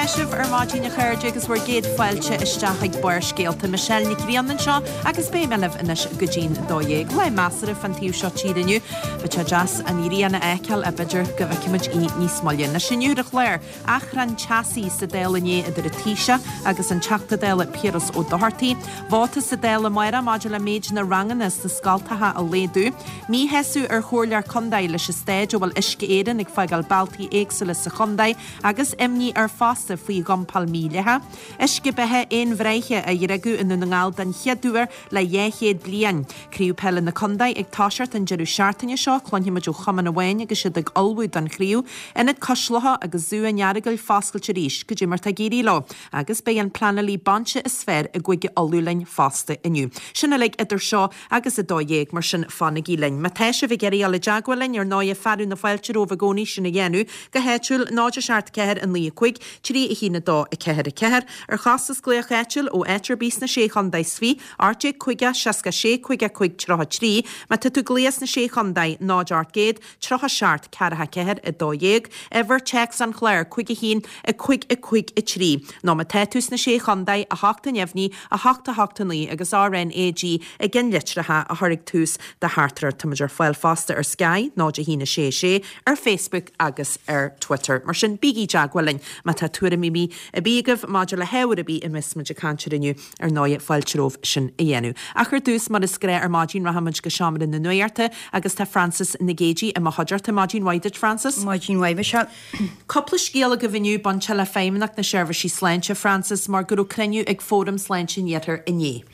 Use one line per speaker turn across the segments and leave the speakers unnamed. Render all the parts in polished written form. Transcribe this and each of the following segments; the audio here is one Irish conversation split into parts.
tá sibh ar maidin a chairde agus bhur gcéad fáilte isteach ag Barrscéalta. Michelle Nic Grianna anseo agus beidh mé libh anois go dtí'n 12. Lá measartha fán taobh seo tíre inniu. Bheadh sé deas an ghrian a fheiceáil ach b'fhéidir go bhfeicfimid í níos moille. Anois inniu ar an chlár, achrann teasaí sa Dáil inné idir an Taoiseach agus an Teachta Dála Piaras Ó Dochartaigh. Vóta sa Dáil amárach maidir le méid na ranganna sna scoltacha a laghdú. Míshásamh ar chomhairleoir contae leis an staid a bhfuil Uisce Éireann ag fágáil bealtaí éagsúla sa chontae agus imní air fosta faoi dhumpáil mhídhleathach. Uisce beatha aon-bhreithe á dhriogadh i nDún na nGall den chéad uair le 200 bliain. Craobh Peile na Contae ag toiseacht an deireadh seachtaine seo, cluinfimid ó chumann amháin agus iad ag ullmhú don chraobh. Ionad Cois Locha agus Zú an Earagail foscailte arís, cad é mar tá ag éirí leo? Agus beidh an pleanálaí bainse is fearr i gCúige Uladh linn fosta inniu. Sin uilig idir seo agus 12:00, mar sin fanaigí linn. Má tá sibh ag iarraidh dul i dteagmháil linn, ar ndóighe, fearadh na fáilte romhaibh i gcónaí sin a dhéanamh, go háitiúil, 0 7 4 9 5 3 1 2 4 4, ar chostas glaoch áitiúil ó áit ar bith sna Sé Chontae is Fiche, 18 50 66 55 33, má tá tú ag glaoch sna Sé Chontae, 0 800 37 44 12, uimhir téacs an chláir, 5 1 5 5 3, nó má tá tú sna Sé Chontae, 8 neamhní, 8 8 9 agus RnaG i gceannlitreacha a chur ag tús do theachtaireacht. Táimid ar fáil fosta ar Sky, 0 1 6 6, ar Facebook agus ar Twitter. Mar sin, bígí i dteagmháil linn má tá tuairimí ar bith agaibh maidir le hábhar ar bith a mbeas muid ag caint air inniu. Ar ndóighe, fáilte romhaibh sin a dhéanamh. Ach ar dtús, mar is gnáth ar maidin, rachaimid go seomra na nuachta agus tá Frances Nic Géadaigh i mo chuideachta. Maidin mhaith duit, Frances.
Maidin mhaith, Michelle.
Cúpla scéal agaibh inniu bainteach le Feidhmeannacht na Seirbhísí Sláinte, Frances, mar go raibh cruinniú ag Fóram Sláinte an Iarthair inné.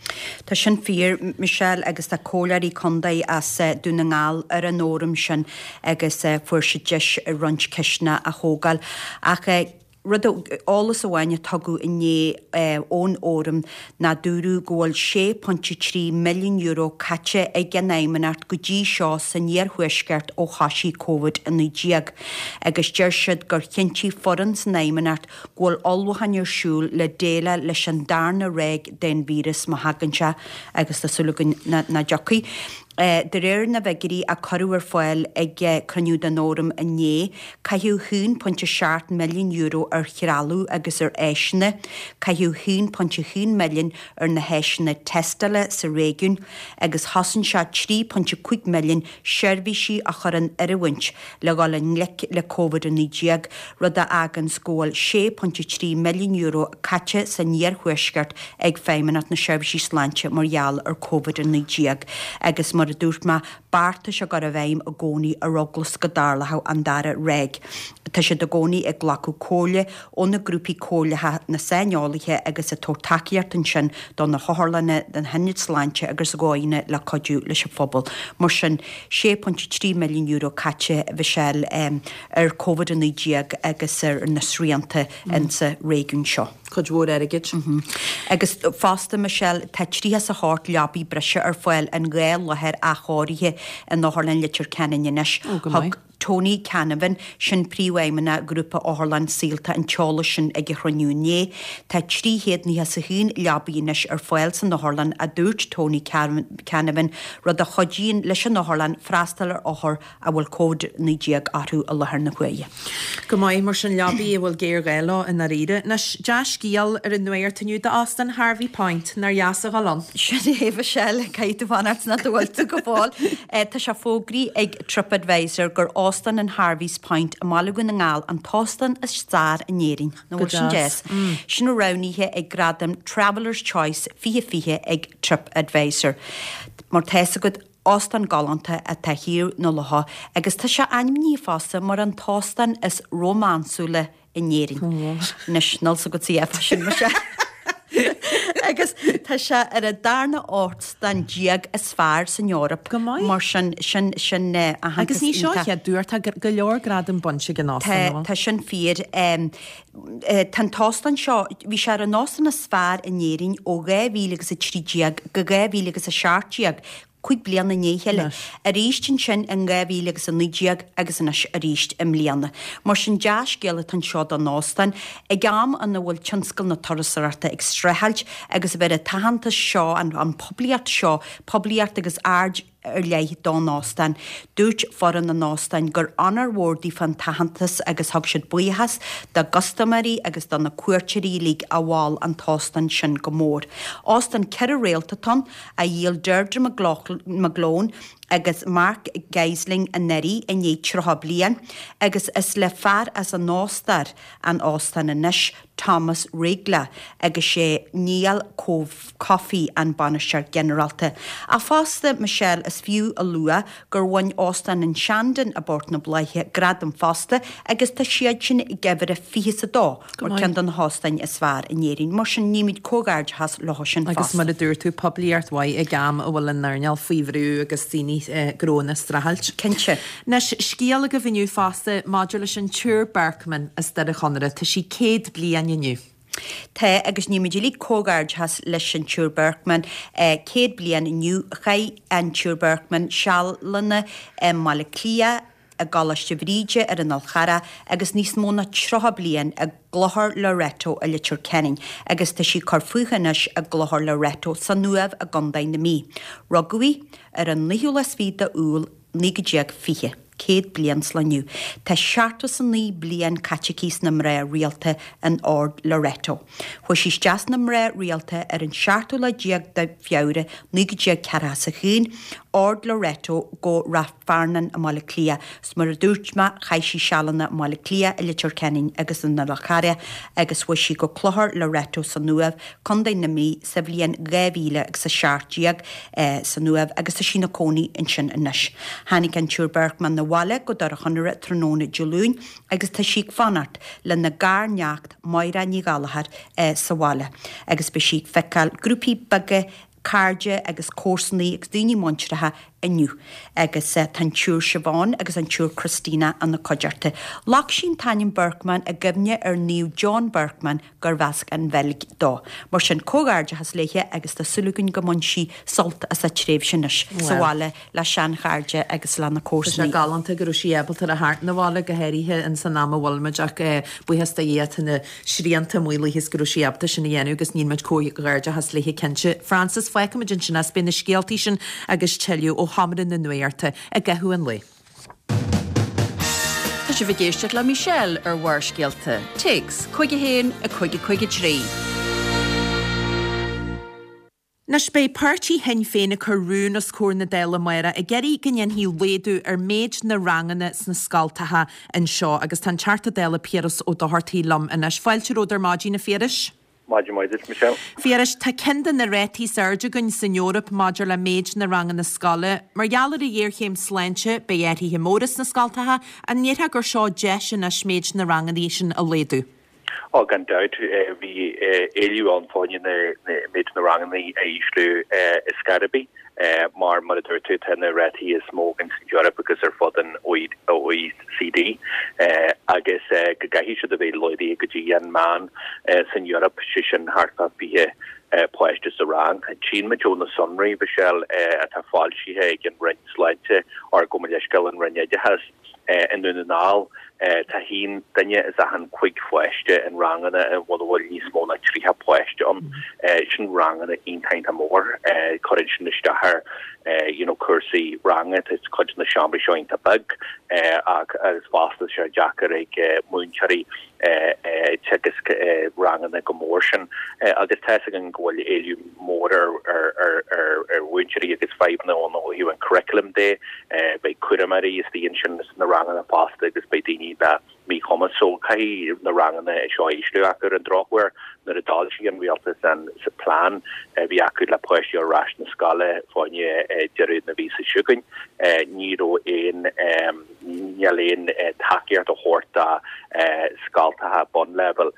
Tá sin fíor, Michelle, agus tá comhairleoirí contae as Dún na nGall ar an fhóram sin agus fuair siad deis roinnt ceisteanna a thógáil. Ach rud, eolas amháin a tugadh inné ón fhóram ná dúradh go bhfuil €6.3 milliún caite ag an Fheidhmeannacht go dtí seo san iarthuaisceart ó thoisigh Covid-19 agus deir siad gur chinntigh foireann san Fheidhmeannacht go bhfuil ullmhúcháin ar siúl le déileáil leis an darna ráig den víreas má thagann sé agus tá súil againn nach dtiocfaidh. De réir na bhfigiúirí a cuireadh ar fáil ag cruinniú den fhóram inné, caitheadh €1.7 milliún ar threalamh agus ar áiseanna, caitheadh €1.1 milliún ar na háiseanna tástála sa réigiún agus chosain sé €3.5 milliún seirbhísí a chur in oiriúint le dhul i ngleic le Covid-19, rud a fháganns go bhfuil €6.3 milliún caite san iarthuaisceart ag Feidhmeannacht na Seirbhísí Sláinte mar gheall ar Covid-19 agus, mar a dúirt mé, beartais á gcur i bhfeidhm i gcónaí ar eagla 's go dtarlódh an dara ráig. Tá siad i gcónaí ag glacadh comhairle ó na grúpaí comhairleacha, na saineolaithe agus ag tabhairt tacaíocht ansin do na hotharlanna, do na hionaid sláinte agus dhóigheanna le cuidiú leis an phobal. Mar sin, €6.3 milliún caite, a Mhichelle, ar Covid-19 agus ar na srianta insa réigiún seo.
Cuid mhór airgid.
Agus fosta, Michelle, tá 38 leabaí breise ar fáil in dhá láthair athchóirithe in Otharlann Leitir Ceanainn anois.
Ó, go maith.
Thug Tony Canavan, sin Príomhfheidhmeannach Ghrúpa Otharlann Saolta an t-eolas sin ag an chruinniú inné. Tá 391 leabaí anois ar fáil san otharlann, a dúirt Tony Canavan, rud a chuidíonn leis an otharlann freastal ar othair a bhfuil Covid-19 orthu i láthair na huaire.
Go maith, mar sin leabaí a bhfuil géarghá leo i ndáiríre. Anois, dea-scéal ar an nuacht inniu d'Óstán Harvey Point, nár dheas a dhul ann?
Sin é, Michelle, caithfidh tú fanacht nach bhfuil tú go fóill. Tá sé fógraithe ag TripAdvisor gur Óstán an Harvey's Point i mBaile Dhún na nGall an t-óstán is fearr in Éirinn. Nach
Go
bhfuil sin
deas.
deas? Sin roghnaithe ag Gradaim Travellers Choice 2020 ag TripAdvisor. Mar tá fhios agat, Óstán galánta atá thiar na locha agus tá sé ainmnithe fosta mar an t-óstán is rómánsúla in Éirinn. Anois, níl fhios agat CF sin Michelle. Agus tá sé ar an darna óstán déag is fearr san Eoraip.
Go maith.
Mar sin, sin, sin aitheantas
Agus ní seo
iontach.
chéad uair, tá go leor gradam bainte ag an óstán,
Tá,
an bhfuil?
tá sin fíor. Tá an t-óstán seo, bhí sé ar an óstán is fearr in Éirinn ó 2013 go 2017, 5 bliana i ndiaidh a chéile, arís ansin in 2019 agus anois arís i mbliana. Mar sin dea-scéal atá anseo don óstán, ag am ina bhfuil tionscal na turasóireachta ag streachailt agus a bheith an t-aitheantas seo, an poiblíocht seo, poiblíocht agus aird. ar leith don óstán. Dúirt foireann an óstáin gur onóir mhór daofa an t-aitheantas agus thug siad buíochas dá gcustaiméirí agus do na cuairteoirí uilig a mhol an t-óstán sin go mór. Óstán 4 réalta atá ann, a dhíol Deirdre McGlone agus Mark Gysling anuraidh i ndiaidh 30 bliain agus is le fear as an Ostair an óstán anois, Thomas Riegler agus sé Niall Coffey an Bainisteoir Ginearálta. Ach fosta, Michelle, is fiú a lua gur bhain Óstán an Shandon i bPort na Bláiche gradam fosta agus tá siadsin ag uimhir a fiche is a dó mar ceann de na hóstáin is fearr in Éirinn. Mar sin, nímid comhghairdeachas leo sin
Agus
fosta.
mar a dúirt tú, poiblíocht mhaith ag am a bhfuil an earnáil faoi bhrú agus daoine, gnóanna ag streachailt.
Cinnte.
Anois, scéal agaibh inniu fosta maidir leis an tSiúr Birkman as Doire Chonaire. Tá sí 100 bliain inniu.
Tá, agus nímid uilig comhghairdeachas leis an tSiúr Birkman. 100 bliain inniu. Chaith an tSiúr Birkman sealanna i mBaile Átha Cliath, i gColáiste Bhríde ar an Fhál Charrach agus níos mó ná 30 bliain i gClochar Loreto i Leitir Ceanainn agus tá sí ag cur fúithi anois i gClochar Loreto san Uaimh i gContae na Mí. Rugadh í ar an naoú lá is fiche d'Iúil 1920, 100 bliain sa lá inniu. Tá 79 bliain caite aici sna mná rialta in Ord Loreto. Chuaigh sí isteach sna mná rialta ar an seachtú lá déag de Feabhra 1941, Ord Loreto go Rathfarnan i mBaile Átha Cliath. 'S mar a dúirt mé, chaith sí sealanna i mBaile Átha Cliath, i Leitir Ceanainn agus san Fhál Charrach agus chuaigh sí go Clochar Loreto san Uaimh, Contae na Mí, sa bhliain 2017 san Uaimh agus tá sí ina cónaí ansin anois. Tháinig an tSiúr Birkman 'na bhaile go Doire Chonaire tráthnóna Dé Luain agus tá sí ag fanacht lena garneacht Máire Ní Ghallchóir sa bhaile agus beidh sí ag feiceáil grúpaí beaga cairde agus comharsanaí agus daoine muinteartha inniu agus tá an tSiúr Siobhán agus an tSiúr Christina ina cuideachta. Ghlac sí an t-ainm Birkman i gcuimhne ar Naomh John Birkman gurbh as an Bheilg dó. Mar sin, comhghairdeachas léithe agus tá súil againn go mbain sí sult as a tréimhse anois sa bhaile le seanchairde agus lena
Tá sé
comharsanaí.
galánta go raibh sí ábalta a theacht 'na bhaile, go háirithe ins an am a bhfuil muid ach buíochas do Dhia tá na srianta maolaithe is go raibh sí ábalta sin a dhéanamh agus nímid comhghairdeachas léithe cinnte. Frances, fágfaimid ansin é is beidh na scéaltaí sin agus tuilleadh ó Sheomra na Nuachta i gcaitheamh an lae.
Tá sibh ag éisteacht le Michelle ar Bharrscéalta. Téacs 51 5 5 3.
Anois beidh páirtí Shinn Féin ag cur rún os comhair na Dála amárach ag iarraidh go ndéanfaí laghdú ar méid na ranganna sna scoltacha anseo agus tá an Teachta Dála Piaras Ó Dochartaigh liom anois. Fáilte romhat ar maidin, a Phiarais.
Maidin mhaith duit, Michelle.
Phiarais, tá ceann de na rátaí is airde againn san Eoraip maidir le méid na ranganna scoile. Mar gheall ar an ghéarchéim sláinte, beidh athruithe móra sna scoltacha. An ndéarfá gur seo deis anois méid na ranganna sin a laghdú?
Ó, gan dabht, bhí éileamh ann fá choinne méid na ranganna a ísliú i scor ar bith, mar, mar a dúirt tú, tá na rátaí is mó againn san Eoraip agus ar fud an OECD agus go gcaithfidh siad a bheith laghdaithe go dtí an meán san Eoraip, sé sin thart fá 20 páiste sa rang. Tchíonn muid ó na sonraí, Michelle, atá foilsithe ag an Roinn Sláinte, or gabh mo leithscéal, an Roinn Oideachais, I nDún na nGall, tá haon duine as achan chuig pháiste in ranganna ina bhfuil níos mó ná 30 páiste ann. Sin ranganna iontach iontach mór. Cuireann sin isteach ar you know cúrsaí ranga. Tá cuid de na seomraí seo iontach beag ach agus fosta tá sé deacair ag múinteoirí teagasc ranganna chomh mór sin agus tá 'fhios againn go bhfuil éileamh mór ar mhúinteoirí agus fadhbanna ann ó thaobh an curriculum de. Beidh cúramóirí istigh ansin sna ranganna fosta agus beidh daoine le míchumas so caithfidh na ranganna seo a ísliú ach ar an drochuair nuair a d'fhoilsigh an rialtas an plean a bhí acu le páistí ar ais na scoile fá choinne deireadh na mhíosa seo chugainn ní raibh aon Níl aon tacaíocht á thabhairt do scoltacha bunleibhéil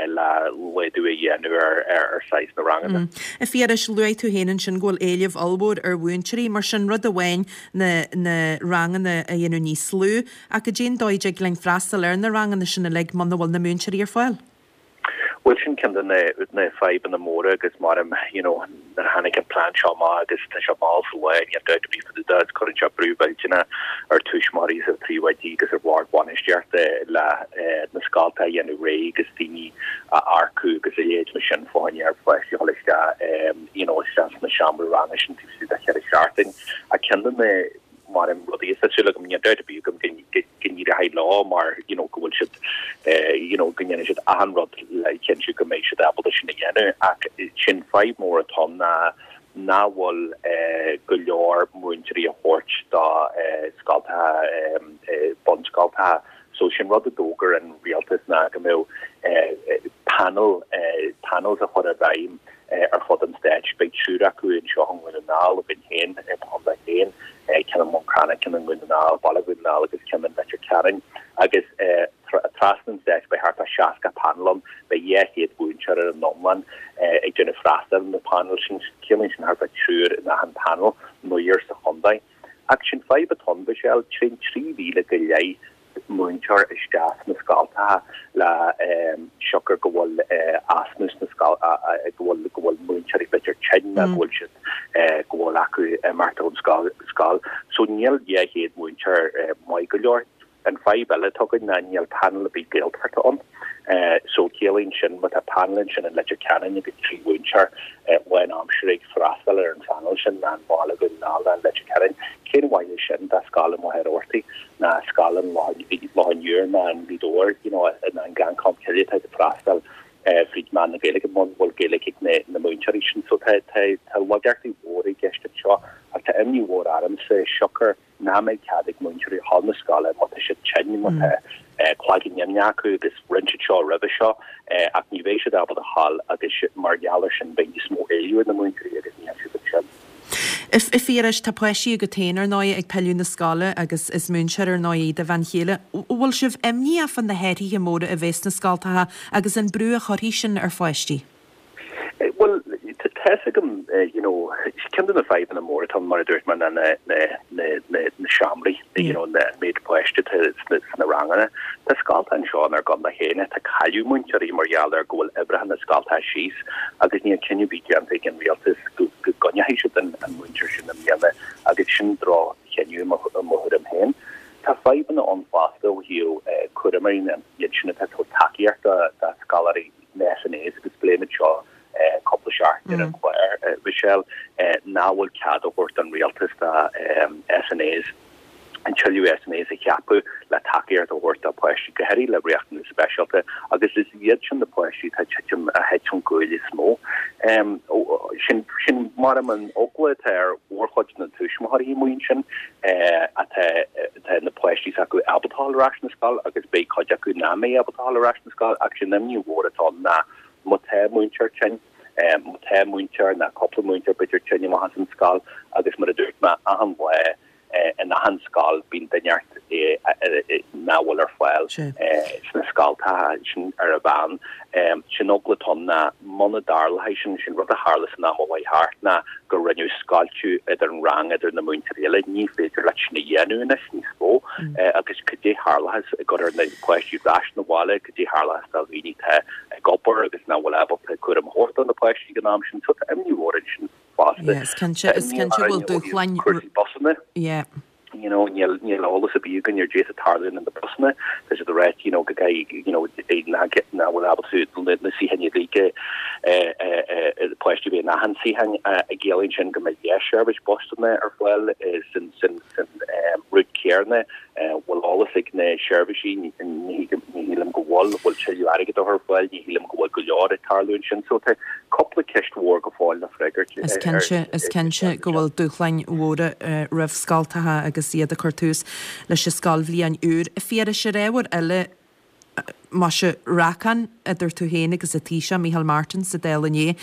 le laghdú a dhéanamh ar saghas na ranganna.
A Phiarais, luaigh tú féin ansin go bhfuil éileamh ollmhór ar mhúinteoirí, mar sin rud amháin na na ranganna a dhéanamh níos lú, ach cad é an dóigh a dtig linn freastal ar na ranganna sin uilig muna bhfuil na múinteoirí ar fáil?
Bhuel sin ceann de na fadhbanna móra agus maram you know nuair a tháinig an plean seo amach agus tá sé mall sa lá níl dabht ar bith fá dtaobh de agus cuireann sé brú mhillteanach ar tuismitheoirí agus ar phríomhoidí agus ar bhord bainistíochta le na scoltacha a dhéanamh réidh agus daoine a earcú agus a leithéid mar sin fá choinne ar pháistí a dhul isteach you know isteach sna seomraí ranga sin taobh istigh de cheithre seachtain ach ceann de na maram rudaí is tá súil agam níl dabht ar bith agam go go n-éireoidh leo mar you know go bhfuil siad you know go ndéanfaidh siad achan rud le cinntiú go mbeidh siad ábalta sin a dhéanamh ach sin fadhb mór atá ann ná nach bhfuil go leor múinteoirí a thabhairt do scoltacha bunscoltacha so sin rud a d'fhógair an rialtas ná go mbeadh panel panels a chur i bhfeidhm ar fud an stáit. Beidh triúr acu anseo i nDún na nGall againn féin, i mo chontae féin, ceann i mBun Cranncha, ceann i nDún na nGall, Baile Dhún na nGall agus ceann i Leitir Ceanainn. Agus trasna an stáit beidh thart ar 60 panel ann, beidh 200 mhúinteoir ar an iomlán ag déanamh freastal ar na panel sin. Ciallaíonn sin thart ar triúr in achan panel, naonúr sa chontae. Ach sin fadhb atá ann, Michelle, téann 3,000 go leith múinteoir isteach sna scoltacha le siocair go bhfuil easnamh sna scoil go bhfuil go bhfuil múinteoirí b'fhéidir tinn nó go bhfuil siad go bhfuil acu imeacht ón scoil. So níl 200 múinteoir maith go leor. An fadhb eile atá againn ná níl panel ar bith Gaeltachta ann. So ciallaíonn sin má tá panel ansin in Leitir Ceanainn agus 3 mhúinteoir lánaimseartha ag freastal ar an phanel sin ná i mBaile Dhún na nGall ná in Leitir Ceanainn, cén mhaith é sin do scoil i Machaire Rabhartaigh ná scoil i Loch an Iúir ná i nGaoth Dobhair you know ná i nGleann Cholm Cille atá ag freastal fríd mheán na Gaeilge muna bhfuil Gaeilge ag na na múinteoirí sin. So tá tá tá laigeachtaí mhóra i gceist anseo ach tá imní mhór ormsa siocair nach mbeidh cead ag múinteoirí a dhul na scoile má tá siad tinn, má tá cloigeann imníoch acu agus rinne siad seo roimhe seo ach ní bheidh siad ábalta a dhul agus mar gheall ar sin beidh níos mó éileamh ar na múinteoirí agus níl siad ansin.
A Phiarais, tá páistí agat féin, ar ndóigh, ag pilleadh na scoile agus is múinteoir, ar ndóigh, í do bhean chéile. An bhfuil sibh imníoch fá na hathruithe móra a bheas sna scoltacha agus an brú a chuirfidh sin ar pháistí?
Bhuel, tá fhios agam, you know, ceann de na fadhbanna móra atá ann, mar a dúirt mé, ná na, na, na, na, na seomraí, you know, na, an méid páiste atá sna, sna ranganna. Tá scoltacha anseo inár gcontae féin atá ag cailleadh múinteoirí mar gheall ar go bhfuil uimhreacha na scoltacha síos agus níl cinneadh ar bith déanta ag an rialtas go, go gcoinneoidh siad an, an múinteoir sin i mbliana agus sin droch-chinneadh i mo, i mo thuairim féin. Tá fadhbanna ann fosta ó thaobh cúramóirí na, iad sin atá ag tabhairt tacaíocht do, do scoláirí. na SNAs agus pléimid seo cúpla seachtain ar an chlár, Michelle, nach bhfuil cead á thabhairt don rialtas do SNAs an tuilleadh SNAs a cheapadh le tacaíocht a thabhairt do pháistí, go háirithe le riachtanais speisialta, agus is iad sin na páistí atá ag titim, a thit ón gcúl is mó. Sin, sin mar an eagla atá ar mhórchuid na tuismitheoirí amuigh ansin, atá, tá na páistí s'acu ábalta a dhul ar ais na scoil agus beidh cuid acu nach mbeidh ábalta a dhul ar ais na scoil ach sin imní mhór atá ann ná má tá múinteoir tinn, má tá múinteoir ná cúpla múinteoir b'fhéidir tinn amach as an scoil agus mar a dúirt mé achan lá in achan scoil bíonn duine inteacht nach bhfuil ar fáil sna scoltacha sin ar a mheán. Sin eagla atá ann ná muna dtarlóidh sin, sin rud a tharla san am a chuaigh thart ná go rinneadh scoilteadh idir an rang idir na múinteoirí eile. Ní féidir leat sin a dhéanamh anois níos mó agus cad é tharlóchas ag cur ar na páistí ar ais na bhaile, cad é tharlóchas do dhaoine atá ag obair agus nach bhfuil ábalta cúram a thabhairt do na páistí ag an am sin. So tá imní mhór ansin fosta.
Yeah, is cinnte, is cinnte go bhfuil dúshláin.
Cúrsaí busanna.
Yeah.
You know, níl, níl eolas ar bith againn ar cad é atá ag tarlú na busanna. Tá siad ag ráit, you know, go gcaithfidh, you know, nach, nach bhfuil ábalta na, na suíocháin uilig, eh, eh, eh, páistí a bheith in achan suíochán, eh, ciallaíonn sin go mbeidh dhá sheirbhís busanna ar fáil, eh, san, san, san, eh, route céanna. Bhfuil eolas ag na seirbhísí? Ní shílim go bhfuil. Bhfuil tuilleadh airgid á chur ar fáil? Ní shílim go bhfuil go leor ag tarlú ansin. So tá cúpla ceist mhór go fóill le freagairt.
Is cinnte, is cinnte go bhfuil dúshláin mhóra roimh scoltacha agus iad ag cur tús leis an scoilbhliain úr. A Phiarais, ar ábhar eile, Muise, racán idir tú féin agus an Taoiseach, Micheál Martin, sa Dáil inné,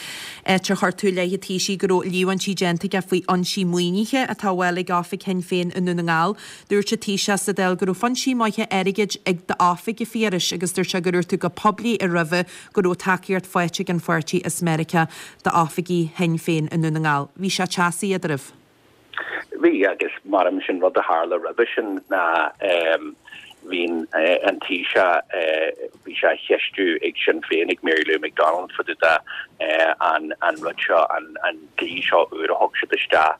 áit ar chuir tú i leith an Taoisigh go raibh líomhaintí déanta aige faoi fhoinsí maoinithe atá á bhfáil ag oifig Shinn Féin i nDún na nGall. Dúirt an Taoiseach sa Dáil go raibh foinsí maithe airgid ag d'oifig, a Phiarais, agus dúirt sé gur dhúirt tú go poiblí roimhe go raibh tacaíocht faighte ag an pháirtí as Meiriceá d'oifigí Shinn Féin i nDún na nGall. Bhí sé teasaí eadraibh.
Bhí, agus maram sin rud a tharla roimhe sin ná. Bhí an Taoiseach, bhí sé á cheistiú ag Sinn Féin, ag Mary Lou McDonald fá dtaobh de an rud seo, an dlí seo úr a thug siad isteach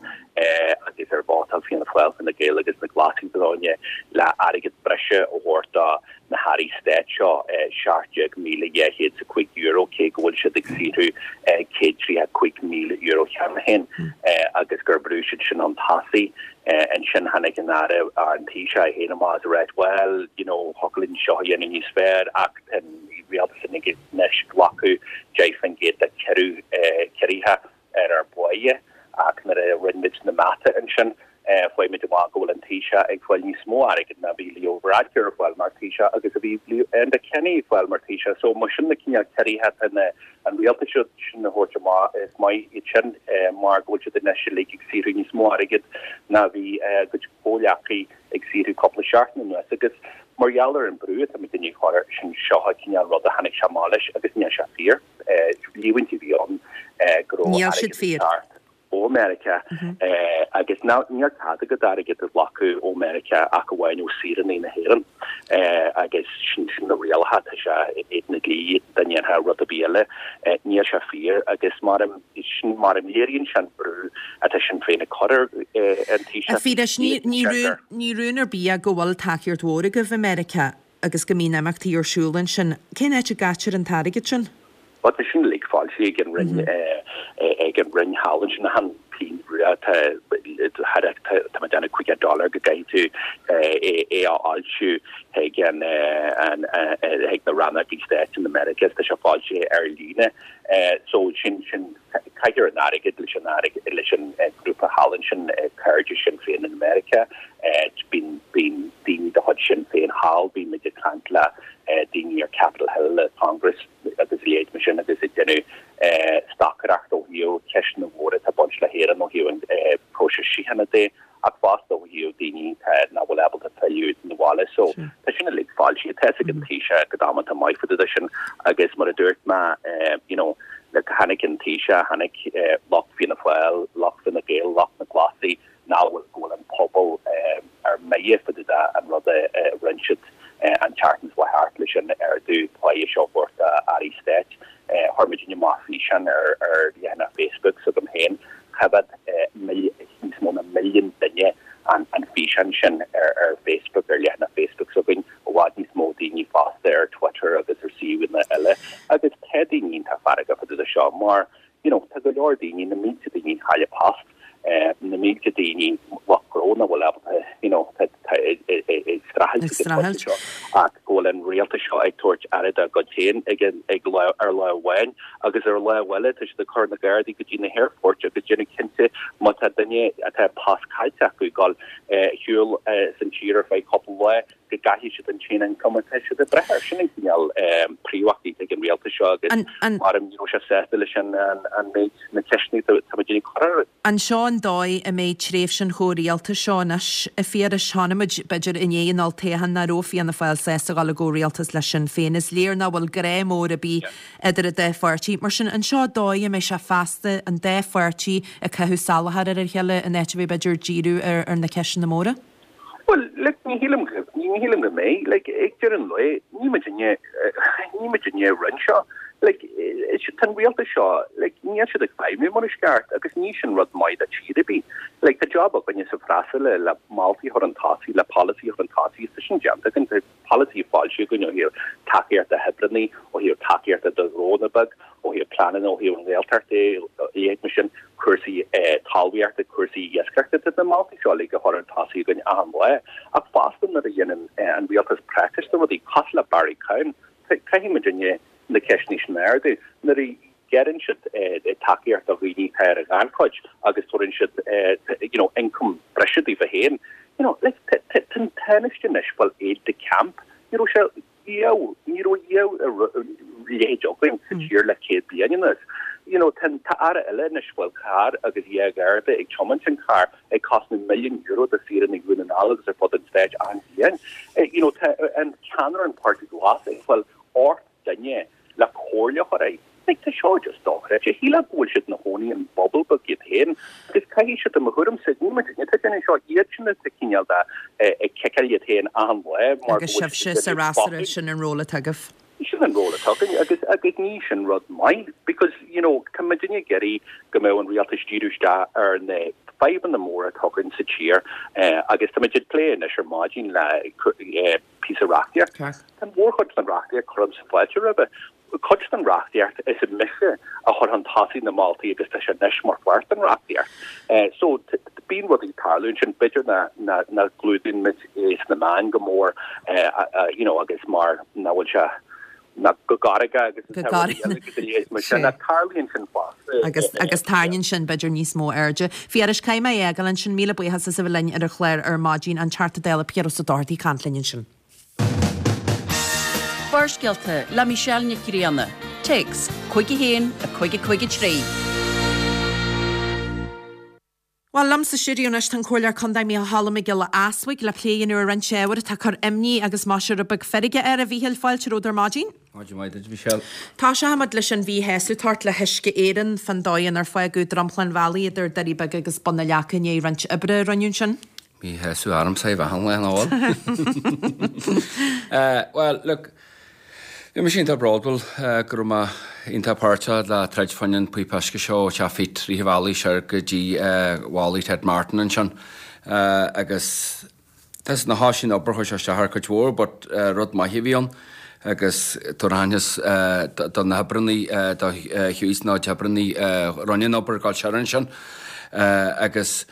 agus ar vótáil Fianna Fáil, Fine Gael agus na Glasaigh dó inné le airgead breise a thabhairt do na hairí stáit seo, €17,205, cé go bhfuil siad ag saothrú €135,000 cheana féin, agus gur bhrú siad sin chun tosaigh. Ansin tháinig an Aire, an Taoiseach é féin amach is a ráit, bhuel, you know, thiocfadh linn seo a dhéanamh níos fearr ach tá an rialtas anois ag glacadh 10% de chiorruithe ar ár bpáighe ach nuair a rinne muid na mata ansin fuair muid amach go bhfuil an Taoiseach ag fáil níos mó airgid ná bhí Leo Varadkar ag fáil mar Taoiseach agus a bhí Enda Kenny ag fáil mar Taoiseach. So mar sin na cineál ciorruithe atá na an rialtas sin a thabhairt amach is maith iad sin mar go bhfuil siad anois uilig ag saothrú níos mó airgid ná bhí a gcuid comhghleacaí ag saothrú cúpla seachtain anuas agus mar gheall ar an brú atá muid ag cur air sin seo an cineál rud a tháinig sé amach leis agus níl sé fíor. Líomhaintí a bhí ann go raibh
airgead
ag teacht ó Mheiriceá agus níl cead agat airgead a ghlacadh ó Mheiriceá ach amháin ó saoránaigh na hÉireann agus sin na rialacha, tá sé in éadan an dlí dá ndéanfá rud ar bith eile. Níl sé fíor agus mar sin mar a léiríonn sé an brú atá Sinn Féin ag cur ar an
Taoiseach. A Phiarais, ní rún ar bith é go bhfuil tacaíocht mhór agaibh i Meiriceá. agus go mbíonn imeachtaí ar siúl ansin. Cén áit a gcaitear an t-airgead sin?
Bhuel, tá sin uilig foilsithe ag an Roinn, ag an Roinn thall ansin, achan pingin rua tá tá mé ag déanamh 50 dollar go gcaithfidh tú é a fhoilsiú chuig an chuig na rannógaí stáit in America, tá sé foilsithe ar líne. So sin sin Caitear an airgead leis an airgead leis an grúpa thall ansin, cairde Sinn Féin in America. Bíonn bíonn daoine de chuid Sinn Féin thall, bíonn muid ag caint le daoine ar Capitol Hill, le Congress agus a leithéid mar sin agus ag déanamh stocaireacht ó thaobh ceisteanna mhóra atá ag baint le hÉirinn ó thaobh an próiseas síochána de. ach fosta ó thaobh daoine nach bhfuil ábalta filleadh na bhaile. So tá sin uilig foilsithe, tá fhios ag an Taoiseach go damanta maith fá dtaobh de sin agus mar a dúirt mé you know like tháinig an Taoiseach, tháinig lucht Fianna Fáil, lucht Fine Gael, lucht na Glasaí nach bhfuil go bhfuil an pobal ar mire fá dtaobh de an rud a rinne siad an tseachtain seo thart leis an ardú páighe seo a thabhairt d'airí stáit. Chuir muidinne amach físeán ar ar leathanach Facebook s'agam féin. Choimhéad níos mó ná milliún duine an an físeán sin ar ar Facebook, ar leathanach Facebook s'againn, i bhfad níos mó daoine fosta ar Twitter agus ar suíomhanna eile. Agus tá daoine iontach feargach fá dtaobh de seo mar you know tá go leor daoine, na mílte daoine ag cailleadh post, na mílte daoine lucht gnó nach bhfuil ábalta you know tá ag streachailt ag an pointe seo ach go bhfuil an rialtas seo ag tabhairt aire dá gcuid féin ag an ag lá ar lá amháin agus ar lá eile tá siad ag cur na gardaí go dtí na haerfoirt agus déanamh cinnte má tá duine atá post caillte acu ag dul ar shiúl as an tír ar feadh cúpla lá go gcaillfidh siad an t-aon ioncam atá siad ag brath air. Sin an cineál príomhachtaí atá ag an rialtas seo agus mar ní raibh sé sásta leis an méid, na ceisteanna atá muid ag cur air.
An seo an dóigh a mbeidh tréimhse an chomhrialtais seo anois, a Phiarais? Chonaic muid, b'fhéidir, i ndiaidh an olltoghcháin nach raibh Fianna Fáil sásta dul i gcomhrialtas le Sinn Féin. Is léir nach bhfuil grá mór ar bith idir an dá pháirtí. Mar sin, an seo an dóigh a mbeidh sé feasta, an dá pháirtí ag caitheamh salachar ar a chéile in áit a bheith, b'fhéidir, díriú ar na ceisteanna móra?
Bhuel, like, ní shílim go, ní shílim go mbeidh. Like, ag deireadh an lae, ní muidinne, ní muidinne a rinne seo. Like, tá an rialtas seo, like, níl siad ag feidhmiú mar is ceart agus ní sin rud maith do tír ar bith. Like, tá job againne sa bhfreasúra le moltaí a chur chun tosaigh, le polasaí a chur chun tosaigh is tá sin déanta againn. Tá polasaí foilsithe againn ó thaobh tacaíochta d'oibreanna, ó thaobh tacaíochta do ghnónna beag, ó thaobh pleananna ó thaobh an Ghaeltacht de, a leithéid mar sin, cúrsaí talmhaíochta, cúrsaí iascaireachta, tá na moltaí seo uilig á chur chun tosaigh againn achan lá. Ach fosta nuair a dhéanann an rialtas prácás de rudaí cosúil le Barry Cowen, caithfidh muidinne na ceisteanna sin a ardú. Nuair a ghearrann siad tacaíocht do dhaoine atá ar an ghannchuid agus tabharann siad you know ioncam breise daofa féin, you know, like tá an Tánaiste anois ag fáil aide de camp, ní raibh sé riamh, ní raibh riamh a leithéid againn sa tír le 100 bliain anuas. You know, tá tá aire eile anois ag fáil carr agus dhá gharda ag tiomáint an carr ag cosnú milliún euro do saoránaigh Dhún na nGall agus ar fud an stáit achan bhliain. You know, tá an ceannaire an Páirtí Glas ag fáil 8 duine le comhairle a chur air. Like, tá seo just dochreidte. Shílfeá go bhfuil siad ina chónaí in bubble beag iad féin agus. caithfidh siad, i mo thuairimse, ní muidne atá ag déanamh seo, iad sin atá cineál de ag ciceáil iad féin achan lá
mar go Agus bhfuil siad sibhse ag sa déanamh fhreasúra, botún. sin an ról atá agaibh.
Sin an ról atá againn agus agus ní sin rud maith because, you know, tá muidinne ag iarraidh go mbeadh an rialtas díriú isteach ar na fadhbanna móra atá againn sa tír agus tá muid ag plé anois ar maidin le píosa reachtaíocht. Tá an mhórchuid den reachtaíocht, cuirimse fáilte roimhe. Cuid den reachtaíocht is mise a chuir chun tosaigh na moltaí agus tá sé anois mar pháirt den reachtaíocht. So bíonn rudaí ag tarlú ansin, b'fhéidir nach gclúdaíonn muid é sna meáin go mór you know agus mar nach bhfuil sé ná go gcarraige agus
Go tá rudaí eile
agus a leithéid mar sin ach tarlaíonn sin fosta.
Agus agus tarraingíonn sin b'fhéidir níos mó airde. Phiarais, caithfidh mé é a fhágáil ansin, míle buíochas as a bheith linn ar an chlár ar maidin, an Teachta Dála Piaras Ó Dochartaigh ag caint linn ansin.
Barrscéalta le Michelle Nic Grianna. Téacs 51 553.
Bhuel, liom sa stiúideo anois tá an Comhairleoir Contae Mícheál Mac Giolla Easbuig le plé a dhéanamh ar roinnt ábhair atá ag cur imní agus más ea rud beag feirge air. A Mhíchíl, fáilte romhat ar maidin.
Maidin mhaith duit, Michelle.
Tosóidh muid leis an mhíshásamh atá ort le hUisce Éireann fán dóigh inar fágadh dromchla an bhealaigh idir Doirí Beaga agus Bun na Leaca i ndiaidh roinnt oibre a rinneadh ansin.
Míshásamh ormsa é bheith ann le an ól. Bhuel, look, bhí mise iontach bródúil go raibh mé iontach páirteach le troid fá choinne an píopa uisce seo ó Teach Phete rith an bhealaigh soir go dtí Wally Ted Martin ansin agus tá na háis sin obair chuir sé isteach ar cuid mhór but rud maith a bhí ann agus tabhair aitheantas do na hoibreannaí do Hughes nó d'oibreannaí a rinne an obair ag dul soir ansin agus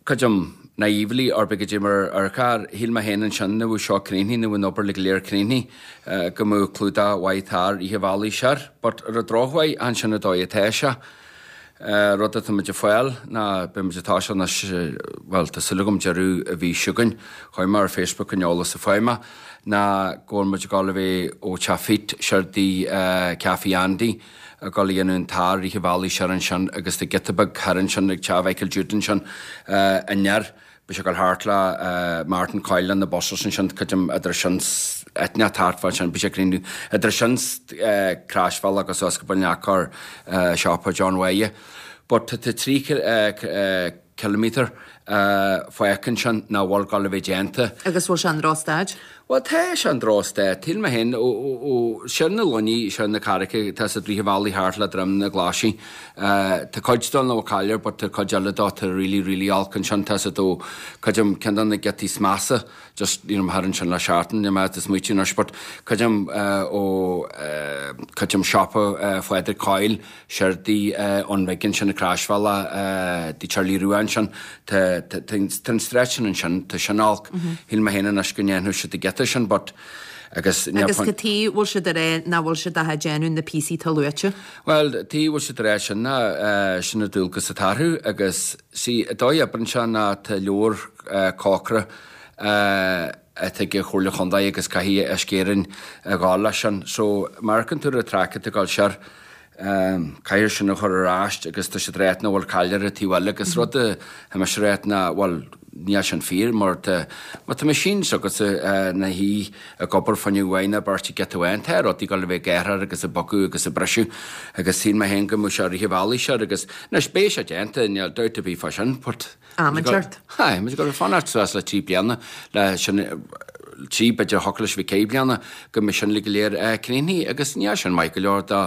Creidim, naively, or b'fhéidir mar ar charr, shíl mé féin ansin nuair a bhí seo críochnaithe, nuair a bhí an obair uilig go léir críochnaithe, go mbeadh clúdach mhaith tar rith an bhealaigh soir. But ar an drochuair, chan sin an dóigh atá sé. Rud atá muid ag fáil ná beidh muid ag toiseacht anois, bhuel, tá súil agam deireadh an mhí seo chugainn, chuir mé ar Facebook an eolas a fuair mé, ná go bhfuil muid ag dul a bheith ó Teach Phete soir dtí Café Andy, ag dul a dhéanamh an tar rith an bhealaigh soir ansin agus tá giota beag thoir ansin ag teach Mhichael Jude ansin aniar. Beidh sé ag dul thart le Martin Coyle na buses ansin, creidim idir sin 's eitneach thart fá ansin, beidh sé ag críochnú idir sin 's croisbhealach agus suas go Bun Leaca ar siopa John Mháire. But tá 3 ciliméadar fágtha ansin nach bhfuil ag dul a bheith déanta.
Agus bhfuil sé in drochstaid?
Bhuel tá sé in drochstaid. Shíl mé féin, ó, soir na Luiní, soir na Carraice, tá siad rith an bhealaigh thart le Droim na Glaise. Tá cuid dó nach bhfuil caill air but tá cuid eile dó tá really, really olc ansin. Tá siad ó, creidim, ceann de na giotaí is measa, just, you know, thar ansin le seachtain, níl mé ag smaoitiú anois but creidim ó, creidim siopa Phádraig Coyle, Soir dtí an Rig ansin, an croisbhealach dtí Charlie Rua ansin, tá an stretch sin ansin, tá sin olc. Shíl mé féin anois go ndéanfadh siad an giota sin but
agus Agus cad chuige bhfuil siad ag rá nach bhfuil siad ach ag déanamh na píosaí atá luaite?
Bhuel, tuige bhfuil siad ag rá sin ná sin an dualgas atá orthu agus see, an dóigh a oibreann sé ná tá leabhar cócaire atá ag an Chomhairle Chontae agus caithfidh Uisce Éireann a ghabháil leis sin. So, má amharcann tú ar an traic atá ag dul soir, Caithfear sin a chur ar ais agus tá siad ag ráit nach bhfuil caill ar an taobh eile agus rud a tá mise ag ráit ná bhuel níl sin fíor mar tá má tá machine s'agatsa ina shuí ag obair fá choinne uair nó beirt ag giota amháin tá rudaí ag dul a bheith ag athrú agus ag bogadh agus ag briseadh agus shíl mé féin go mbeadh sé rith an bhealaigh soir agus anois beidh sé déanta níl dabht ar bith fá sin but
Am inteacht.
Aye, muid ag dul ag fanacht suas le 3 bliana le sin, 3 b'fhéidir thiocfadh leis a bheith 4 bliana go mbeidh sin uilig go léir críochnaithe agus níl sin maith go leor do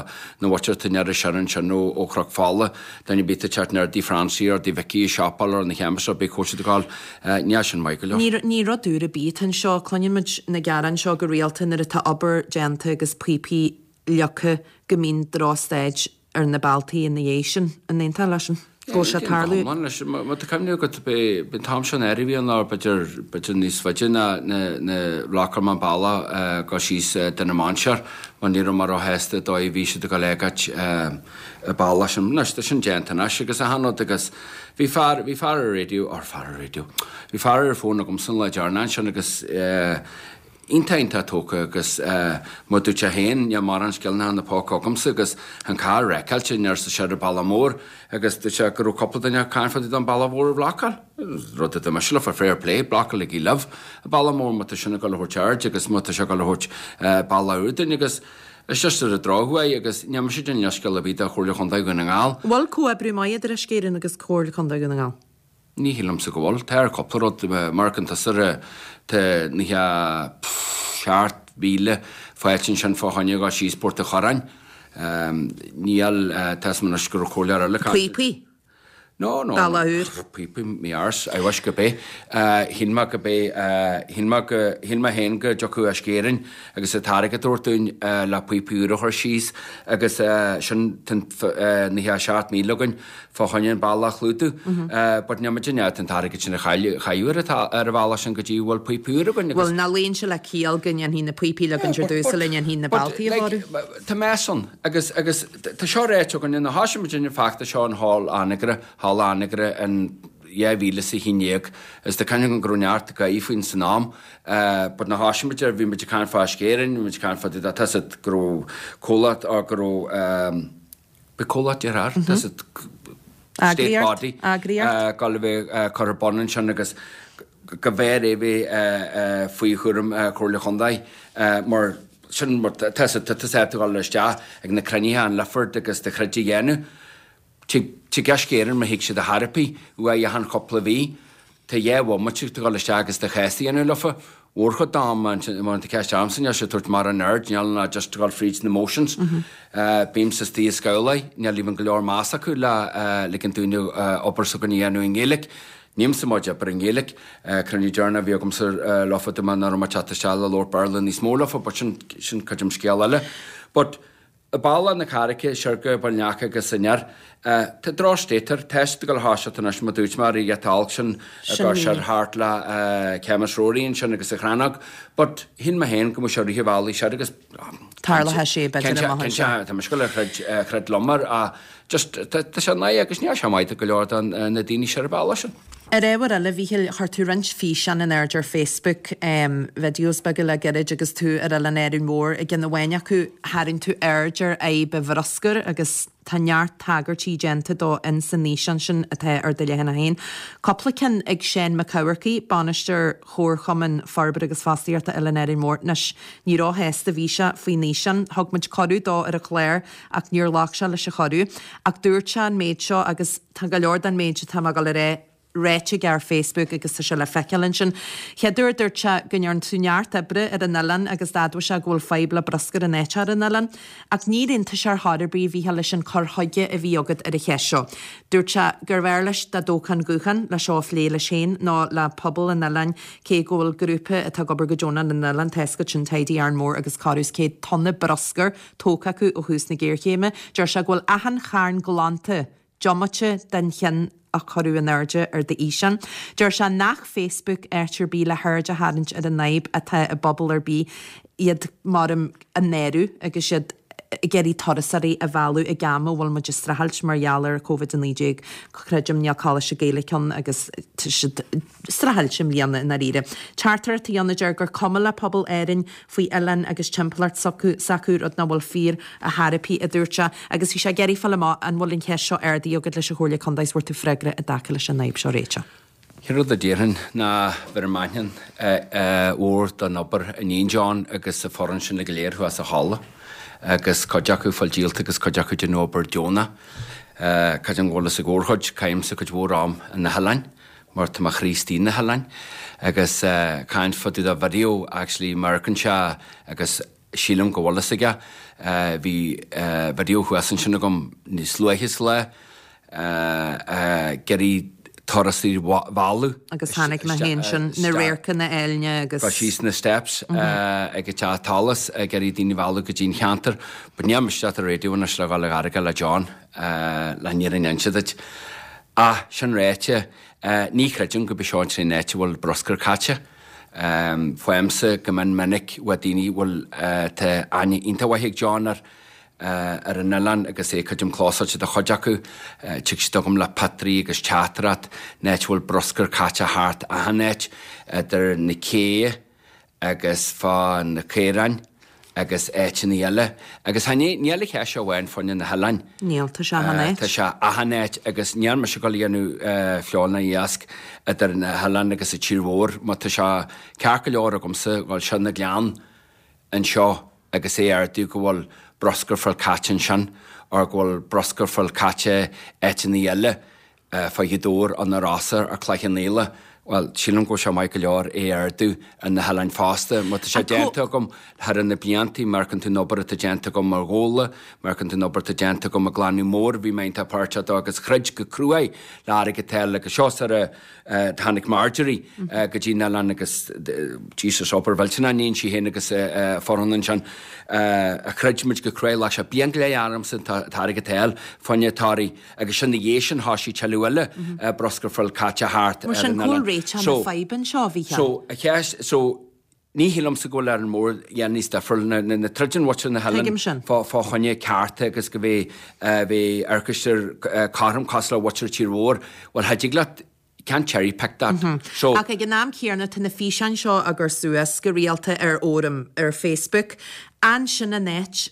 na mhuintir atá aniar soir ansin ó ó Chnoc Fola, duine ar bith atá ag teacht aniar dtí Francie or dtí Vicky ag siopáil or na chemist ar bith cá bhfuil siad ag gabháil, níl sin maith go leor.
Ní ní rud úr ar bith atá anseo, cluineann muid na gearáin seo go rialta nuair atá obair déanta agus píopaí leagtha go mbíonn drochstaid ar na bealtaí ina dhiaidh sin. An aontófá leis sin? Go bhfuil sé ag tarlú?
Aontaím go hiomlán leis. Má tá cuimhne agat, b'é an t-am seo in áirithe a bhí ann, nó b'fhéidir, b'fhéidir níos faide ná na, na bhlocáil mé an bealach ag dul síos Dún na Mainséar mar ní raibh mé róshásta an dóigh a bhí siad ag dul ag fhágáil an bealach sin. Anois, tá sin déanta anois agus achan rud agus bhí fear, bhí fear ar raidió, or fear ar raidió, bhí fear ar an fón agamsa an lá deireanach ansin agus eh, Iontach iontach tógtha agus mar dúirt sé féin, níl mórán scileanna ina póca agamsa agus an carr wreckailte aniar sa soir an bealach mór agus dúirt sé go raibh cúpla duine ag caint fá dtaobh den bealach mhór a bhlocáil. Rud a dúirt mise leo, fair play, blocálaigí libh an bealach mór má tá sin ag dul a thabhairt aird agus má tá sé ag dul a thabhairt bealach úr dúinn agus. It's just ar an drochuair agus níl mise ag déanamh leithscéal ar bith do Chomhairle Chontae Dhún na nGall.
An bhfuil comhoibriú maith idir Uisce Éireann agus Comhairle Contae Dhún na nGall?
Ní shílimse go bhfuil. Tá ar cúpla rud, mar an tusa tá 97,000 fáilte ansin fá choinne dhul síos Port a' Chorráin. Níl, tá 'fhios a'm anois go raibh comhairleoir eile ag caint.
Píopaí?
No, no.
Bealach úr.
Píopaí, me arse, I wish go b'é. Shíl mé go b'é, shíl mé go, shíl mé féin go dtiocfadh Uisce Éireann agus an t-airgead a thabhairt dúinn le píopaí úra a chur síos agus sin tá 97,000 againn fá choinne an bealach a chlúdú. But níl muid in ann an t-airgead sin a chaitheamh ar an bhealach sin go dtí go bhfuil píopaí úra againn agus.
Bhuel, nach luíonn sé le ciall go ndéanfaí na píopaí a leagaint ar dtús sula ndéanfaí na bealtaí a chóiriú?
Tá mess ann agus agus tá seo ráite againn nuair a thoisigh muid an feachtas seo in Hall Anagaire, Halla Anagaire in 2011 is tá cuimhne agam go raibh neart gáire faoin san am but nuair a thoisigh muid air bhí muid ag caint fá Uisce Éireann, bhí muid ag caint fá tá 'fhios a'd go raibh comhlacht go raibh Bhí comhlacht deartháir, tá 'fhios a'd state body,
eagraíocht,
ag dul a bheith curtha ar bun ansin agus go mb'fhearr é bheith faoi chúram Comhairle Chontae mar sin mar tá 'fhios a'd tá tusa ag dul isteach ag na cruinnithe an Lifford agus do chuid a dhéanamh. Tig Uisce Éireann má thig siad ar chor ar bith uaidh achan chúpla mhí. Tá dhá bhomaite ag dul isteach agus do chás a dhéanamh leofa. Mhórchuid d'am, má tá ceist a'msa, níl sé ag tabhairt mórán aird, níl ná just ag dul fríd na motions. Bímse istigh i scabhláí, níl even go leor meas acu le ligean dúinne obair s'againn a dhéanamh i nGaeilge. Nílimse maith ag obair i nGaeilge. Cruinniú deireanach a bhí agamsa leofa dúirt mé nach raibh mé ag teacht isteach le labhairt Béarla níos mó leofa but sin, sin cuid dem scéal eile. But. Bealach na Carraice siar go Baile an Leaca agus aniar. Tá drochstate air. Tá siad ag dul a thoiseacht anois mar dúirt mé ar an gheata olc sin ag dul siar thart le Camas Rory ansin agus an Chrannóg. But shíl mé féin go mbeadh sé ag rith an bhealaigh siar agus
Tarlóidh sé b'fhéidir amach
anseo. Cinnte, tá mise ag dul a throid liom air ach just tá sé náireach agus níl sé maith do go leor de na daoine siar an bealach sin.
Ar ábhar eile, a Mhíchíl, chuir tú roinnt físeán in airde ar Facebook, videos beaga le gairid agus tú ar Oileán Árainn Mhór. I gceann amháin acu, tharraing tú aird ar fhadhb an bhruscair agus tá neart tagairtí déanta dó in san fhíseán sin atá ar do leathanach féin. Cúpla ceann ag Seán Mac Eamharcaigh, Bainisteoir Chomharchumann Forbartha agus Fostaíochta Oileán Árainn Mhór. Anois, ní róshásta a bhí sé faoin fhíseán. Thug muid cuireadh dó ar an chlár ach níor ghlac sé leis an chuireadh. Ach dúirt sé an méid seo agus tá go leor den méid atá mé ag dul a rá ráite aige ar Facebook agus tá sé le feiceáil ansin. Chéad uair dúirt sé go ndearna tú neart oibre ar an oileán agus d'admhaigh sé go bhfuil fadhb le bruscar in áit ar an oileán. Ach níor aontaigh sé ar chor ar bith, a Mhíchíl, leis an cur chuige a bhí agat ar an cheist seo. Dúirt sé gurbh fhearr leis dá dtógfá an guthán le seo a phlé leis féin nó le pobal an oileáin cé go bhfuil grúpa atá ag obair go deonach ar an oileán, tá a fhios agat sin Tidy Arranmore agus corradh is 100 tonna bruscair tógtha acu ó thús na géarchéime. Deir sé go bhfuil achan charn glanta diomaite den cheann a cuireadh in airde ar d'fhíseán. Deir sé nach Facebook áit ar bith le haird a tharraingt ar an fhadhb atá i bpobal ar bith, iad maram a náiriú agus iad ag iarraidh turasóirí a mhealladh ag am a bhfuil muid ag streachailt mar gheall ar Covid-19. Creidim níl Coláiste Gaeilge ann agus tá siad streachailt i mbliana i ndáiríre. Teachtaireacht a dhéanamh deir gur cuma le pobal Árainn faoi oileán agus timpeallacht s'acu, rud nach bhfuil fíor ar chor ar bith, a dúirt sé, agus bhí sé ag iarraidh fáil amach an bhfuil an cheist seo ardaithe agat leis an Chomhairle Contae is bhfuair tú freagra i dtaca leis an fhadhb seo a réiteach.
Chéad rud a déarfainn ná bheirim aithne mhór don obair a níonn John agus a foireann sin go léir thuas sa halla agus cuid acu fáil díolta agus cuid acu ag déanamh obair deonach. Creidim go bhfuil fhios ag mórchuid, caithimse cuid mhór am ar na hoileáin. mar tá mo chroí istigh na hoileáin agus caint fá dtaobh de video actually amharcann sé agus sílim go bhfuil fhios aige bhí video thuas ansin agam níos luaithe sa lá ag iarraidh turasóirí a mhealladh
Agus chonaic mé féin sin, na radharcanna áille agus.
Go síos na steps ag an teach Tollas ag iarraidh daoine a mhealladh go dtí an cheantar but níl mise ar an radio anois le dhul ag argáil le John le an fhírinne a inse duit. Ach, sin ráite, ní chreidim gurb é seo an t-aon áit a bhfuil bruscar caite. Faighimse go mion minic ó daoine a bhfuil, tá aithne iontach mhaith ag John ar, ar an oileán agus é creidim clósáilte do chuid acu. Tig siad chugam le pictiúirí agus teachtaireacht, an áit a bhfuil bruscar caite thart achan áit, idir na céidhe, agus fá na caoráin agus áiteanna eile. Agus chan é, níl an cheist seo amháin fá choinne na hoileáin.
Níl, tá sé achan áit.
Tá sé achan áit agus níl mise ag dul a dhéanamh feoil ná iasc idir na hoileáin agus an tír mhór mar tá sé ceart go leor agamsa dhul siar na gleann anseo. agus é a ardú go bhfuil bruscar fuil caite ansin or go bhfuil bruscar fuil caite áiteanna eile fá Ghaoth Dobhair or na Rosa or Cloich Cheann Fhaola, bhuel, sílim go bhfuil sé maith go leor é a ardú ar na hoileáin fosta. Má tá sé déanta agam thar na blianta, má amharcann tú an obair atá déanta agam ar Ghabhla, má amharcann tú an obair atá déanta agam ag Glanadh Mór, bhí mé iontach páirteach dó agus throid go cruaidh le airgead a fháil agus seo sar a tháinig Marjorie go dtí an oileán agus Jesus obair mhillteanach a dhein sí féin agus a foireann ansin a throid muid go cruaidh, ghlac sé bliain go leith ormsa an t-airgead a fháil fá choinne Toraigh. Agus sin ina dhiaidh sin thoisigh tuilleadh eile bruscar fuil caite thart
Mar
ar
sin,
an
cá bhfuil
oileán.
réiteach na
So,
faidhbe anseo, a Mhícheáil?
so, a cheist, so, ní shílimse go bhfuil Árainn Mhór a dhéanamh níos difriúil ná na troideann mhuintir na
Tuigim
hoileáin
sin.
fá, fá choinne cearta agus go bheidh, bheidh aercoiste cothrom cosúil le mhuintir tír mhór. Bhuel, cha dtig leat, you can't cherry pick that. So.
Ach ag an am céanna tá na físeáin seo á gcur suas go rialta ar fhóram ar Facebook. An sin an áit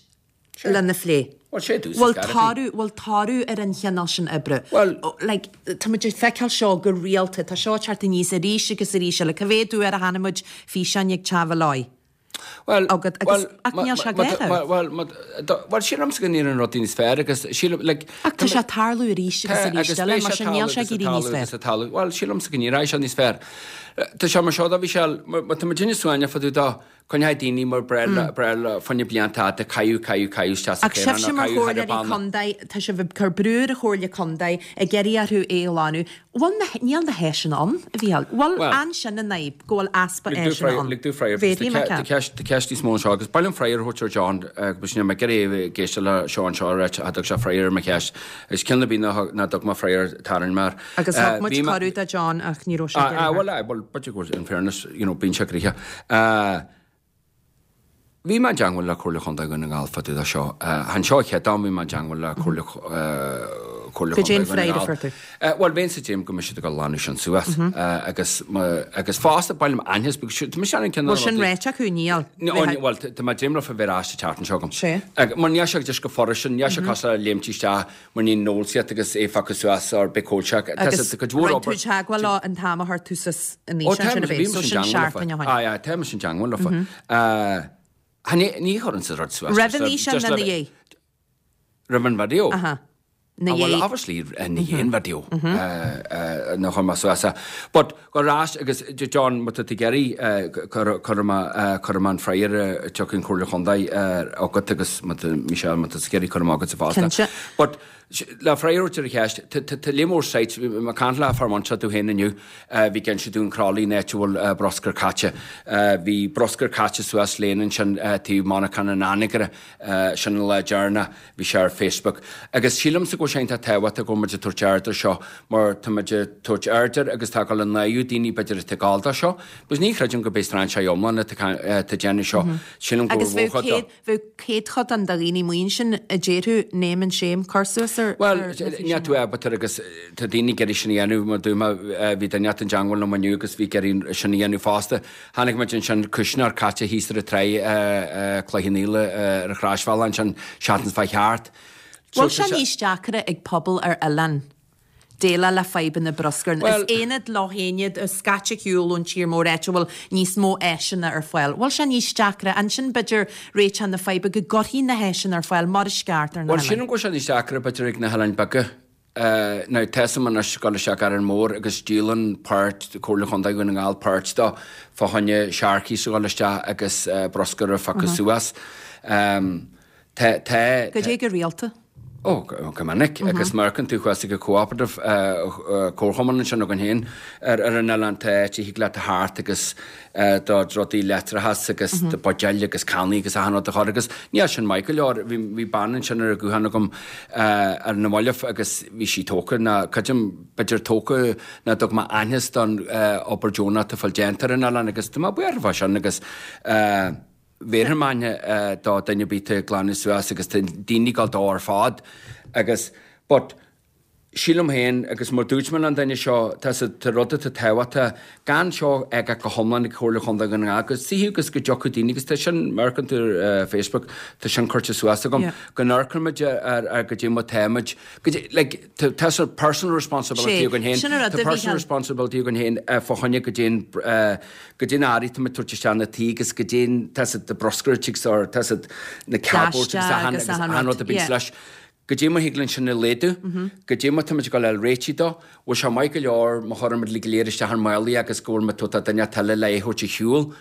lena phlé.
Bhuel, sé dús
Bhfuil toradh, bhfuil toradh ar an chineál sin oibre?
Bhuel.
Like, tá muid ag feiceáil seo go rialta, tá seo ag teacht aníos arís agus arís eile. Cá mhéad uair a chonaic muid físeáin ag teagmháil leo?
Bhuel,
Agat, agus, ach níl sé
bhuel,
gafa.
bhuel, bhuel, sílimse go n-éiríonn rudaí níos fearr agus sílim, like,
Ach tá sé ag tarlú arís agus arís eile, mar sin níl sé ag éirí níos fearr.
Bhuel, sílimse go n-éireoidh sé níos fearr. Tá sé mar seo dá bhí sé, má tá muid ina suaimhneach fá dtaobh dó, Coinneoidh daoine mar breá le fá choinne blianta fhada caitheamh, caitheamh, caitheamh isteach sa
Ach
chaorán
sibhse
nó
mar
caitheamh thar
chomhairleoirí
an banna.
contae, tá sibh ag cur brú ar an Chomhairle Contae, ag iarraidh orthu é a ghlanadh. Bhfuil na, níl na háiseanna ann, a Mhícheáil. Bhfuil,
Bhuel,
an sin an fhadhb, go bhfuil easpa
lig domh
áiseanna
freagra,
ann?
lig domh freagra, because
Bhféadfaí,
tá
mar
ceist, tá ceist níos mó anseo agus ba mhaith liom freagra a thabhairt ar John, agus níl mé ag iarraidh é ag éisteacht le seo anseo a ráit, cha dtug sé freagra ar mo cheist. Is ceann ar bith nach dtug mé freagra tarraing mé air.
Agus thug muid cuireadh do John ach ní raibh sé ag iarraidh.
Bhuel, aye, bhuel, b'fhéidir go bhfuil, in fairness, you know, bíonn sé gnoitheach. Bhí mé i dteangmháil le Comhairle Chontae Dhún na nGall fá dtaobh de seo. Chan seo an chéad am bhí mé i dteangmháil le Comhairle Chontae
Cad é an
Dhún na
freagra a
nGall.
fuair tú?
Bhuel, bheinn sa dréim go mbeidh siad ag dul a ghlanadh sin suas. Agus, agus fosta, ba mhaith liom aitheantas, because tá mise ar an cineál
Bhfuil sin
rudaí.
réiteach acu? Níl.
Bhuel, tá mé ag dréim leofa bheith ar ais an tseachtain seo agam.
Sea.
Mar níl sé just go furast sin, níl sé cosúil le léimt isteach Mar ní nól siad agus é fágtha suas or bith cóilseach. Tá
Agus
sa cuid mhór
rinne tú
obair.
teagmháil leo an t-am a chuir tú suas an
Ó
fhíseán
tá
sin a
bhí
bheith, so
mise in
sin
dteangmháil leofa.
seachtain ó shin.
Aye aye tá mise in dteangmháil leofa. Cha ní ní chuireann siad rud suas
Roimh
just
an
le
fhíseán
just
nó
le
ina dhiaidh?
Roimh an video?
Aha. Ina
Ah well
dhiaidh.
obviously ina dhiaidh an video nuair a chuir mé suas é. But go ar ais agus John má tá tú ag iarraidh cuirfidh mé cuirfidh mé an freagra a tiocfaidh an Chomhairle Chontae agat agus má tá Michelle má tá tú ag iarraidh cuirfidh mé agatsa fosta.
Cinnte.
But le freagra a thabhairt ar an cheist, tá léim mór sites, bhí mé ag caint le fear muinteartha domh féin inniu, bhí ag inse domh an Crawley an áit a bhfuil bruscar caite. Bhí bruscar caite suas lane ansin taobh monarchana an Anagaire, sin an lá deireanach. Bhí sé ar Facebook. Agus sílimse go bhfuil sé iontach tábhachtach go bhfuil muid ag tabhairt aird ar seo mar tá muid ag tabhairt aird air agus tá ag dul a náiriú daoine b'fhéidir atá ag gabháil dó seo. Because ní chreidim go b'é strainséir iomlán atá ag déanamh seo. Sílim go
Agus
bhfuil
bheadh
mórchuid dó.
céad, bheadh céadchodán de dhaoine amuigh ansin a déarfadh name and shame, cur suas ar,
Bhuel,
ar na
níl
físeáin.
tú ábalta agus tá daoine ag iarraidh sin a dhéanamh mar dúirt mé, bhí duine inteacht i dteangmháil liom inniu agus bhí ag iarraidh sin a dhéanamh fosta. Chonaic muid ansin cuisneoir caite thíos ar an tráigh i Cloich Cheann Fhaola ar an chrosbhealach ansin seachtain seo chuaigh thart.
Bhfuil sé níos deacra ag pobal ar oileán déileáil le fadhbanna bruscair?
Bhuel.
In aonad le haonad, scaite ar shiúl ón tír mór, áit a bhfuil níos mó áiseanna ar fáil. Bhfuil sé níos deacra ansin, b'fhéidir, réiteach na faidhbe go gcuirfí na háiseanna ar fáil mar is ceart ar na
Bhuel,
hoileáin?
sílim go bhfuil sé níos deacra b'fhéidir ag na hoileáin beaga. Now, tá 'fhios a'm anois ag dul isteach Árainn Mhór agus díolann páirt, Comhairle Chontae Dhún na nGall páirt dó fá choinne Sharkies a dhul isteach agus bruscar a phiocadh suas. Tá, tá.
Goidé go rialta?
Ó, go minic. Agus má amharcann tú thuas ag an Cooperative, Comharchumann ansin againn féin ar an oileán, tá áit a thig leat a theacht agus do rudaí leictreachas agus do buidéil agus cannaí agus achan rud a chur agus níl sin maith go leor. Bhí bhí bean ansin ar an guthán agam ar na mallaibh agus bhí sí tógtha ná creidim b'fhéidir tógtha ná dtug mé aitheantas don obair deonach atá fáil déanta ar an oileán agus tá mé buíoch fá sin agus bhéarfainn m'aithne do duine ar bith atá ag glanadh suas agus tá daoine ag dul dó ar fad agus but. Sílim féin, agus mar dúirt mé leis an duine seo, tá sa, tá rud atá tábhachtach, gan seo a fhágáil go hiomlán ag Comhairle Chontae Dhún na nGall, go suífeadh agus go dtiocfadh daoine, agus tá sin, má amharcann tú ar Facebook, tá sin curtha suas agam, go n-amharcann muid ar, ar goidé mar táimid, goidé, like, tá, tá sort personal responsibility againn féin,
Sin an rud
tá
a
personal
Mhícheáil.
responsibility againn féin fá choinne goidé an, goidé na hearraí atá muid ag tabhairt isteach na tí agus goidé an, tá sa, the bruscar or tá sa, na cardboards agus
Plaisteach
achan,
agus
agus
achan
achan
rud,
rud a bíonns
yeah.
leis. Goidé mar thig linn sin a laghdú, goidé mar táimid ag dul a fháil réitigh dó, bhfuil sé maith go leor má chuireann muid go léir isteach ár málaí agus go bhfuil muid tabhairt do duine eile le é a thabhairt ar shiúl,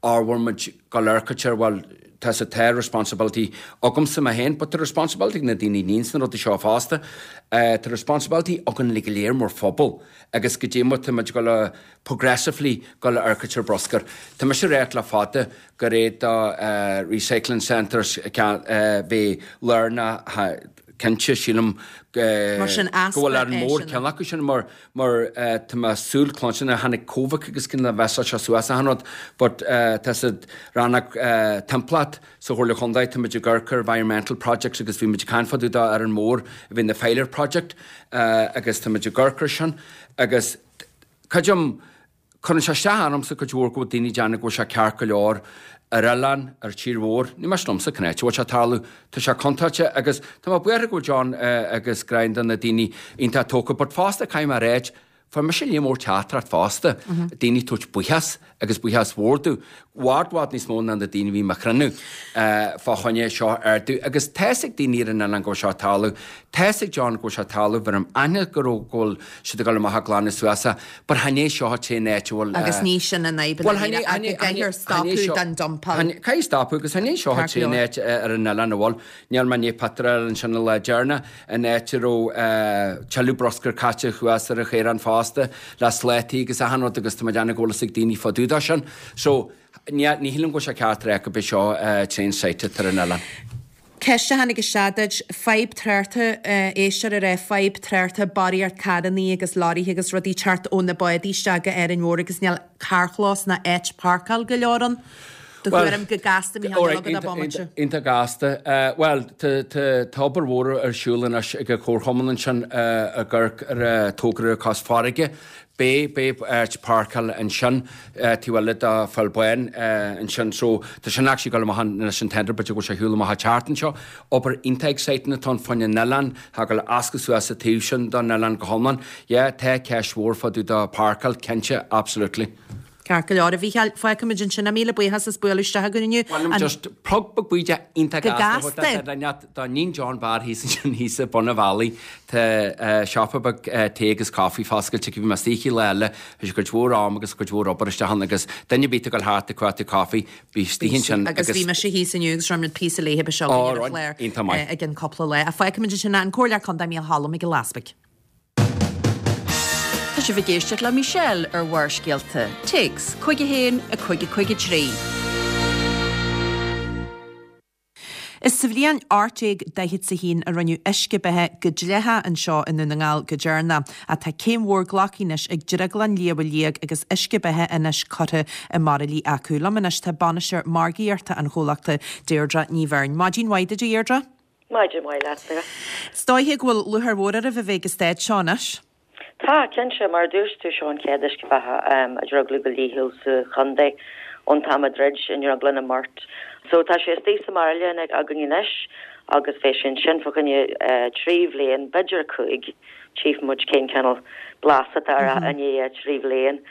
or bhfuil muid ag dul amharc air, bhuel, tá sa tá responsibility agamsa mé féin, but tá responsibility ag na daoine a níonns na rudaí seo fosta. Tá responsibility againn go léir mar phobal agus goidé mar táimid ag dul a progressively dul a amharc ar bruscar. Tá mise ag ráit le fada gur é do recycling centres bheith lárnach cinnte sílim go bhfuil Árainn Mhór ceann acu sin mar mar tá mé súil cluinstin tháinig Covid agus cinn le bheith seo suas achan rud but tá siad rannóg timpeallacht sa Chomhairle Chontae tá muid ag amharc ar environmental projects agus bhí muid ag caint fá dtaobh de Árainn Mhór a bhí na pilot project agus tá muid ag amharc ar sin agus creidim Cuireann sé isteach ormsa cuid mhór go bhfuil daoine ag déanamh go bhfuil sé ceart go leor ar oileán, ar tír mhór. Ní miste liomsa cén áit a bhfuil sé ag tarlú. Tá sé contúirteach agus tá mé buartha go bhfuil John agus Gráinne na daoine iontach tógtha but fosta caithfidh mé a ráit, fuair mise líon mór teachtaireacht fosta, daoine ag tabhairt buíochas agus buíochas mhór domh, bhfad bhfad níos mó ná na daoine a bhí i mo chruinniú fá choinne seo a ardú agus tá's ag daoine ar an oileán go bhfuil seo ag tarlú, tá's ag John go bhfuil sé ag tarlú, bheirim aithne go raibh go bhfuil siad ag dul amach ag glanadh suas é but chan é seo an t-aon áit a bhfuil
Agus ní sin an fhadhb
Bhuel
i ndáiríre ach go gcaithfear stopadh den dumpáil.
Caithfidh stopadh agus chan é seo an
Ceart go
t-aon
leor.
áit ar an oileán a bhfuil. Níl mé i ndiaidh pictiúr a fháil ansin an lá deireanach, an áit a raibh tuilleadh bruscair caite thuas ar an chaorán fosta, le slátaí agus achan rud agus tá mé ag déanamh go bhfuil fhios ag daoine fá dtaobh de sin. So, ní shílim go bhfuil sé ceart a rá gurb é seo an t-aon site atá ar an oileán.
Ceist a tháinig isteach duit, fadhb tráchta, éisteoir ag rá fadhb tráchta, barraíocht carrannaí agus leoraithe agus rudaí teacht ó na bádaí isteach go Árainn Mhór agus níl carrchlós ná áit páirceáil go leor ann. Do thuairim go gasta, Mícheál, níl agat ach bomaite.
Iontach gasta. Bhuel, tá obair mhór ar siúl anois ag an Chomharchumann ansin ag amharc ar togra cois farraige. Beidh, beidh áit páirceála ansin taobh eile de Pholl Bán ansin so tá sin actually ag dul amach anois an tender b'fhéidir go bhfuil sé ar shiúl amach an tseachtain seo. Obair iontach exciting atá ann fá choinne an oileán, tá ag dul a fháscadh suas an taobh sin don oileán go hiomlán. Yeah, tá ceist mhór fá dtaobh de páirceáil, cinnte, absolutely.
Ceart go leor, a Mhícheáil, fágfaimid ansin é. Míle buíochas as bualadh isteach againn inniu.
Bhuel, liom just plug beag bídeach iontach
Go
gasta
gasta!
a thabhairt do níon John Barr thíos ansin thíos ag bun an bhealaigh. Tá siopa beag tae agus coffee foscailte aici. Bhí mé istigh lá eile. Chuir sé cuid mhór am agus cuid mhór obair isteach ann agus duine ar bith atá ag dul thart ag cuartú coffee, bí istigh ansin
Agus bhí mise thíos inniu agus rinne muid píosa léithe ba seo againn ar an chlár
Iontach maith.
i gcionn cúpla lá. Fágfaimid ansin é. An Comhairleoir Contae Mícheál Choilm Mac Giolla Easbuig.
Tá sibh ag éisteacht le Michelle ar Bharrscéalta. Téacs, 51 5 5 3.
Is sa bhliain 1841 a rinneadh uisce beatha go dleathach anseo i nDún na nGall go deireanach, ach tá céim mhór glactha anois ag Drioglann Shliabh Liag agus uisce beatha anois curtha i mbairillí acu. Liom anois tá bainisteoir margaíochta an chomhlachta, Deirdre Ní Bheirn. Maidin mhaith duit a Dheirdre.
Maidin mhaith leat, Sarah.
Is dóiche go bhfuil lúcháir mhór oraibh a bheith ag an staid seo anois.
Tá, cinnte. Mar a dúirt tú, seo an chéad uisce beatha a driogladh go dlíthiúil sa chontae ón t-am a dhruid an drioglann i mBeart. So tá sé istigh sa mbairille againn anois agus beidh sé ansin fá choinne 3 bhliain, b'fhéidir 5, tchífidh muid cén cineál blas atá air i ndiaidh 3 bhliain.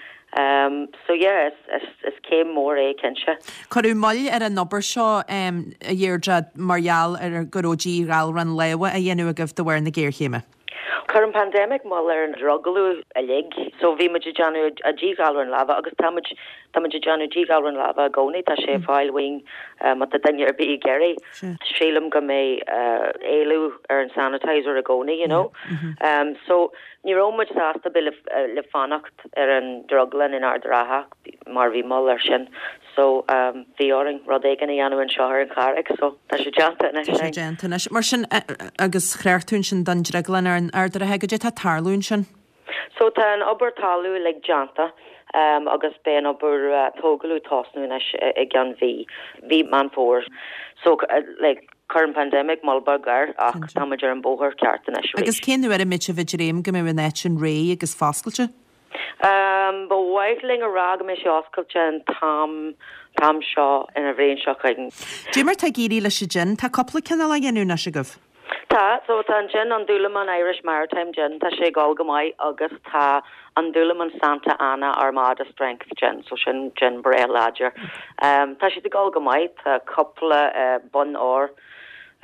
So yeah, is, is céim mór é cinnte.
Cuireadh moill ar an obair seo, a Dheirdre, mar gheall ar go raibh díghalrán láimhe á dhéanamh agaibh de bharr na géarchéime.
Chuir an pandemic moill ar an driogladh uilig, so bhí muid ag déanamh díghalrán láimhe agus tá muid, tá muid ag déanamh díghalrán láimhe i gcónaí, tá sé ar fáil uainn má tá duine ar bith ag iarraidh. Sílim go mbeidh éileamh ar an sanitizer i gcónaí, you know. So Ní raibh muid sásta bheith le fanacht ar an drioglann in Ard an Rátha mar bhí moill air sin so bhí orainn rud éigin a dhéanamh anseo ar an Charraig so tá sé déanta anois.
Tá sé déanta anois. Mar sin, agus chreach tú ansin don drioglann ar an Ard an Rátha, goidé tá ag tarlú ansin?
So tá an obair talún uilig déanta agus beidh an obair tógála ag tosnú anois i gceann mhí, mhí Meán Fómhair. So like. Chuir an pandemic moill beag air ach tá muid ar an bóthar ceart anois arís.
Agus cén uair a mbeidh sibh ag dréim go mbeidh an áit sin réidh agus foscailte?
Ba mhaith linn a rá go mbeidh sé oscailte an t-am t-am seo an bhliain seo chugainn.
Dé mar tá ag éirí leis an jin? Tá cúpla cineál á dhéanamh anois agaibh.
Tá, so tá an jin, an Dúlamán Irish Maritime Gin, tá sé ag dul go maith agus tá an Dúlamán Santa Ana Armada Strength Gin, so sin jin breá láidir. Tá siad ag dul go maith, tá cúpla bonn óir,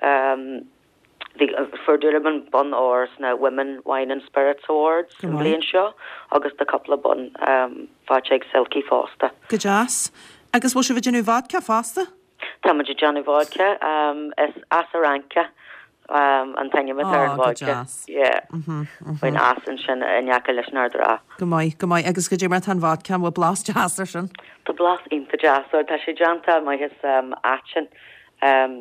bhí, fuair Dúlamán bonn óir sna Women Wine and Spirits Awards an bhliain seo agus tá cúpla bonn faighte ag Silky fosta.
Go deas. Agus bhfuil sibh ag déanamh vodka fosta?
Tá muid ag déanamh vodka. Is Asaranka an t-ainm atá ar an vodka. Yeah. Faoin eas ansin in aice leis an Ard an Rátha.
Go maith, go maith. Agus goidé mar atá an vodka, an bhfuil blas deas air sin?
Tá blas iontach deas air. Tá sé déanta amach as aiteann,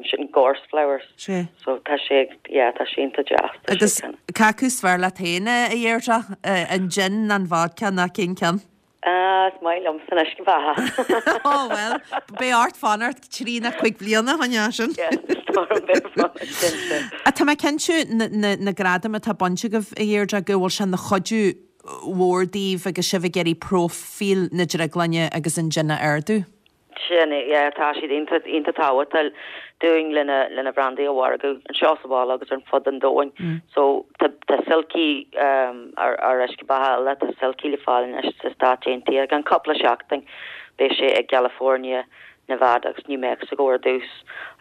sin gorse flowers.
Sea.
So tá sé, yeah, tá sé iontach deas.
Agus cé acu is fearr leat féin, a Dheirdre? An gin, an vodka nó cén ceann?
Ah, is maith liomsa an uisce beatha.
Ó, bhuel, beidh ort fanacht trí nó cuig bliana chun é sin.
Yes, is dóigh liom beidh fanacht cinnte.
Ach tá mé cinnte na gradaim atá bainte agaibh, a Dheirdre, go bhfuil sé ina chuidiú mhór daoibh agus sibh ag iarraidh próifíl na drioglainne agus an jin a ardú.
Sin é, yeah, tá siad iontach, iontach tábhachtach dúinn lena, lena bhrandaí a mhargú anseo sa bhaile agus ar fud an domhain. So tá, tá Silky, ár, ár uisce beatha eile, tá Silky le fáil anois sna Stáit Aontaithe. I gceann cúpla seachtain beidh sé i gCalifornia, Nevada agus New Mexico ar dtús,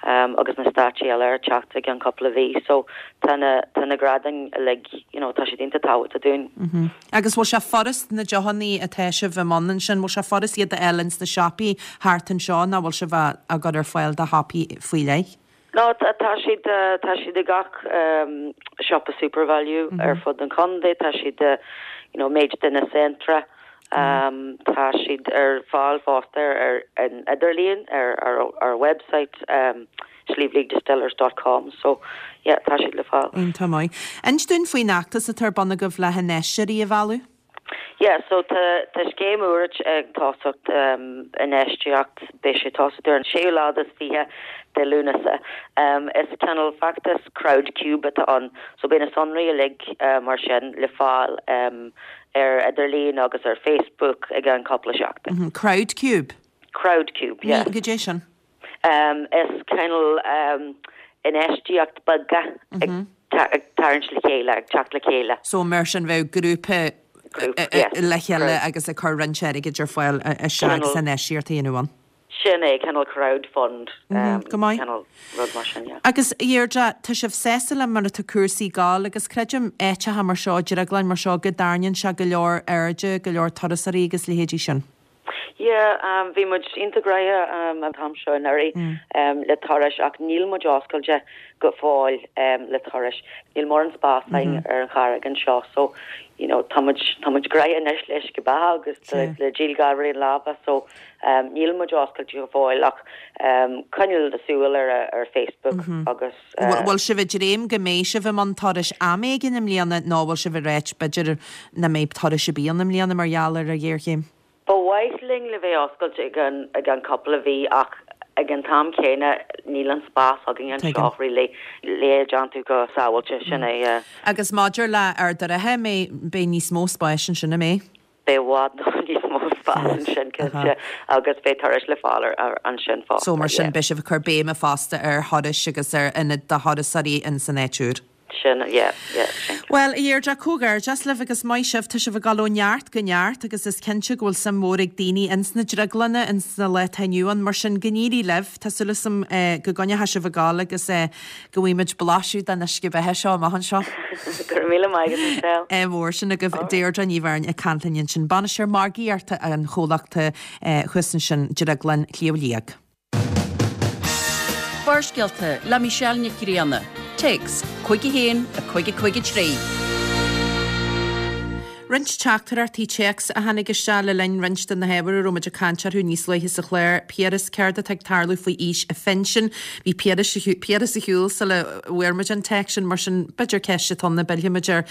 agus na stáit eile ar teacht i gceann cúpla mhí. So tá na, tá na gradaim uilig, you know, tá siad iontach tábhachtach dúinn.
Agus bhfuil sé furast na deochannaí atá sibh i mbun ansin, bhfuil sé furast iad a fháil ins na siopaí thart anseo nó bhfuil sibh á gcur ar fáil do shiopaí faoi leith?
No, tá siad, tá siad i gach siopa Supervalu ar fud an chontae, tá siad i, you know, méid de na Centra, tá siad ar fáil fosta ar an idirlíon, ar ár website. sliabhliagdistillers dot com so yeah tá siad le fáil.
Iontach maith. Inis dúinn faoin fheachtas atá ar bun agaibh le hinfheisteoirí a mhealladh.
Yeah so tá tá scéim úr ag tosacht infheistíocht beidh sé ag tosacht ar an séú lá is 20 de Lúnasa. Is cineál feachtas Crowdcube atá ann so beidh na sonraí uilig mar sin le fáil ar idirlíon agus ar Facebook i gceann cúpla seachtain.
Crowdcube?
Crowdcube yeah.
Goidé sin?
Is cineál infheistíocht beaga ag tarraingt le chéile, ag teacht le chéile.
So mar sin bheadh grúpa le chéile agus ag cur roinnt airgid ar fáil isteach agus infheistíocht a dhéanamh ann.
Sin é, cineál crowd fund,
Go maith.
cineál rud mar sin, yeah.
Agus a Dheirdre, tá sibh sásta le mar atá cúrsaí ag gabháil agus creidim áiteacha mar seo, drioglainn mar seo, go dtarraingíonn sé go leor airde, go leor turasóirí agus leithéidí sin.
Yeah, bhí muid iontach gnoitheach an t-am seo anuraidh le turais ach níl muid oscailte go fóill le turais. Níl mórán spás againn ar an charraig anseo so, you know, tá muid, tá muid gnoitheach anois le uisce beatha agus le díol gairbhrí an láimhe so níl muid oscailte go fóill ach coinneáil súil ar ar Facebook agus.
Bhfuil sibh ag dréim go mbeidh sibh i mbun turais am éigin i mbliana nó bhfuil sibh ag ráit b'fhéidir nach mbeidh turais ar bith ann i mbliana mar gheall ar an ghéarchéim?
Ba mhaith linn le bheith oscailte i gceann i gceann cúpla mhí ach ag an t-am céanna níl an spás againn anseo really le é a déanamh go sábháilte, sin é yeah.
Agus maidir le Ard an Rátha, beidh níos mó spáis ansin, an mbeidh?
Beidh i bhfad níos mó spás ansin cinnte agus beidh turais le fáil ansin fosta.
So mar sin beidh sibh ag cur béime fosta ar thurais agus ar ionad do thurasóirí ins an áit úr.
Sin, yeah, yeah, sin.
Bhuel, a Dheirdre, comhghairdeas libh agus maith sibh, tá sibh ag dul ó neart go neart agus is cinnte go bhfuil suim mhór ag daoine ins na drioglanna ins na lá atá inniu ann, mar sin go n-éirí libh, tá súil agam go gcoinneoidh sibh ag gabháil agus go bhfaighidh muid blaiseadh den uisce beatha seo amach anseo.
Go raibh míle maith agat, Michelle.
Ádh mór sin agaibh. Deirdre Ní Bheirn ag caint linn ansin, Bainisteoir Margaíochta an chomhlachta thuas ansin, Drioglann Shliabh Liag.
Barrscéalta le Michelle Nic Grianna. Téacs 51 5 5 3.
Roinnt teachtaireachtaí téacs a tháinig isteach le linn roinnt de na hábhair a raibh muid ag caint orthu níos luaithe sa chlár. Piaras, céard atá ag tarlú faoi aois a phinsin? Bhí Piaras Piaras ar shiúl sula bhfuair muid an téacs sin, mar sin b'fhéidir ceist atá ann a bpillfidh muid air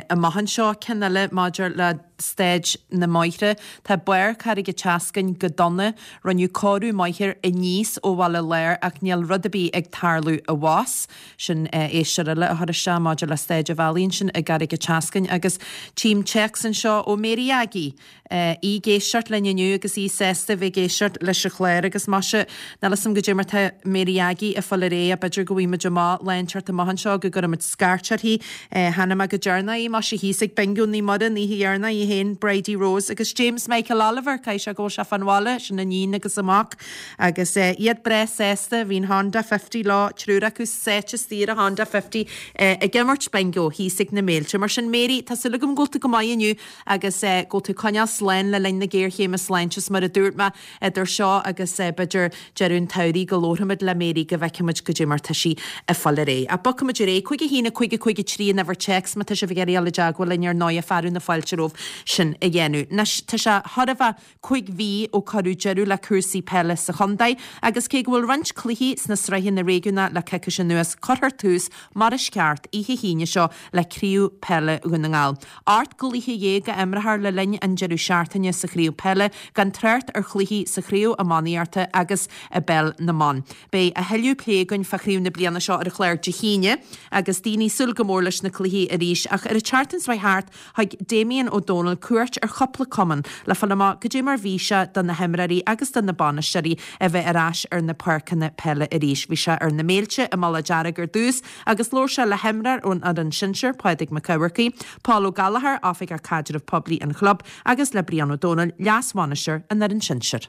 amach anseo. Ceann eile maidir le. Staid na mBóithre. Tá barr Carraig an tSeascainn go dona. Rinneadh cóiriú maith air aníos ó Bhaile Láir ach níl rud ar bith ag tarlú abhus. Sin éisteoir eile a chuir isteach maidir le Staid an Bhealaigh ansin i gCarraig an tSeascainn agus tchím téacs anseo ó Mary Aggie. Í ag éisteacht linn inniu agus í sásta a bheith ag éisteacht leis an chlár agus maise, níl 'fhios a'm goidé mar tá Mary Aggie ag fáil ar aghaidh ach b'fhéidir go bhfaighidh muid amach lá inteacht amach anseo go gcuirfidh muid scairt uirthi. Chonaic mé go deireanach í, maise, thíos ag Bingo Naomh Muire an oíche dheireanach, í féin, Bridie Rose agus James Michael Oliver, caithfidh sé go bhfuil sé fán bhaile, sin a níon agus a mac agus iad breá sásta, bhí an Honda 50 leo, triúr acu sáite istigh ar an Honda 50 ag imirt Bingo thíos ag na Méilte. Mar sin Mary, tá súil agam go bhfuil tú go maith inniu agus go bhfuil tú ag coinneáil slán le linn na géarchéime sláinte is mar a dúirt mé, idir seo agus b'fhéidir deireadh an tsamhraidh go labharfaimid le Mary go bhfeicfimid goidé mar tá sí ag fáil ar aghaidh. Ach bogfaimid ar aghaidh. 5 1 5 5 3 an uimhir téacs má tá sibh ag iarraidh dul i dteagmháil linn ar ndóighe fearadh na fáilte romhaibh sin a dhéanamh. Anois tá sé chóir a bheith 5 mhí ó cuireadh deireadh le cúrsaí peile sa chontae agus cé go bhfuil roinnt cluichí sna sraitheanna réigiúnacha le coicís anuas cuirfear tús mar is ceart oíche hAoine seo le Craobh Peile Dhún na nGall. 18 gcluiche a imreofar le linn an deireadh seachtaine sa chraobh peile, gan trácht ar chluichí sa chraobh iománaíochta agus i bpeil na mban. Beidh a thuilleadh plé againn fá chraobh na bliana seo ar an chlár Dé hAoine agus daoine ag súil go mór leis na cluichí arís ach ar an tseachtain seo thart thug Damien Ó Dónaill cuairt ar chúpla cumann le fáil amach goidé mar bhí sé do na himreoirí agus do na bainisteoirí a bheith ar ais ar na páirceanna peile arís. Bhí sé ar na Méilte i Mullach Dearg ar dtús Agus labhair sé le himreoir ón fhoireann sinsir, Pádraig Mac Eamharcaigh, Paul Ó Gallchóir, Oifigeach Caidrimh Poiblí an chlub, agus le Brian Ó Dónaill, Leas-Bhainisteoir an fhoireann sinsir.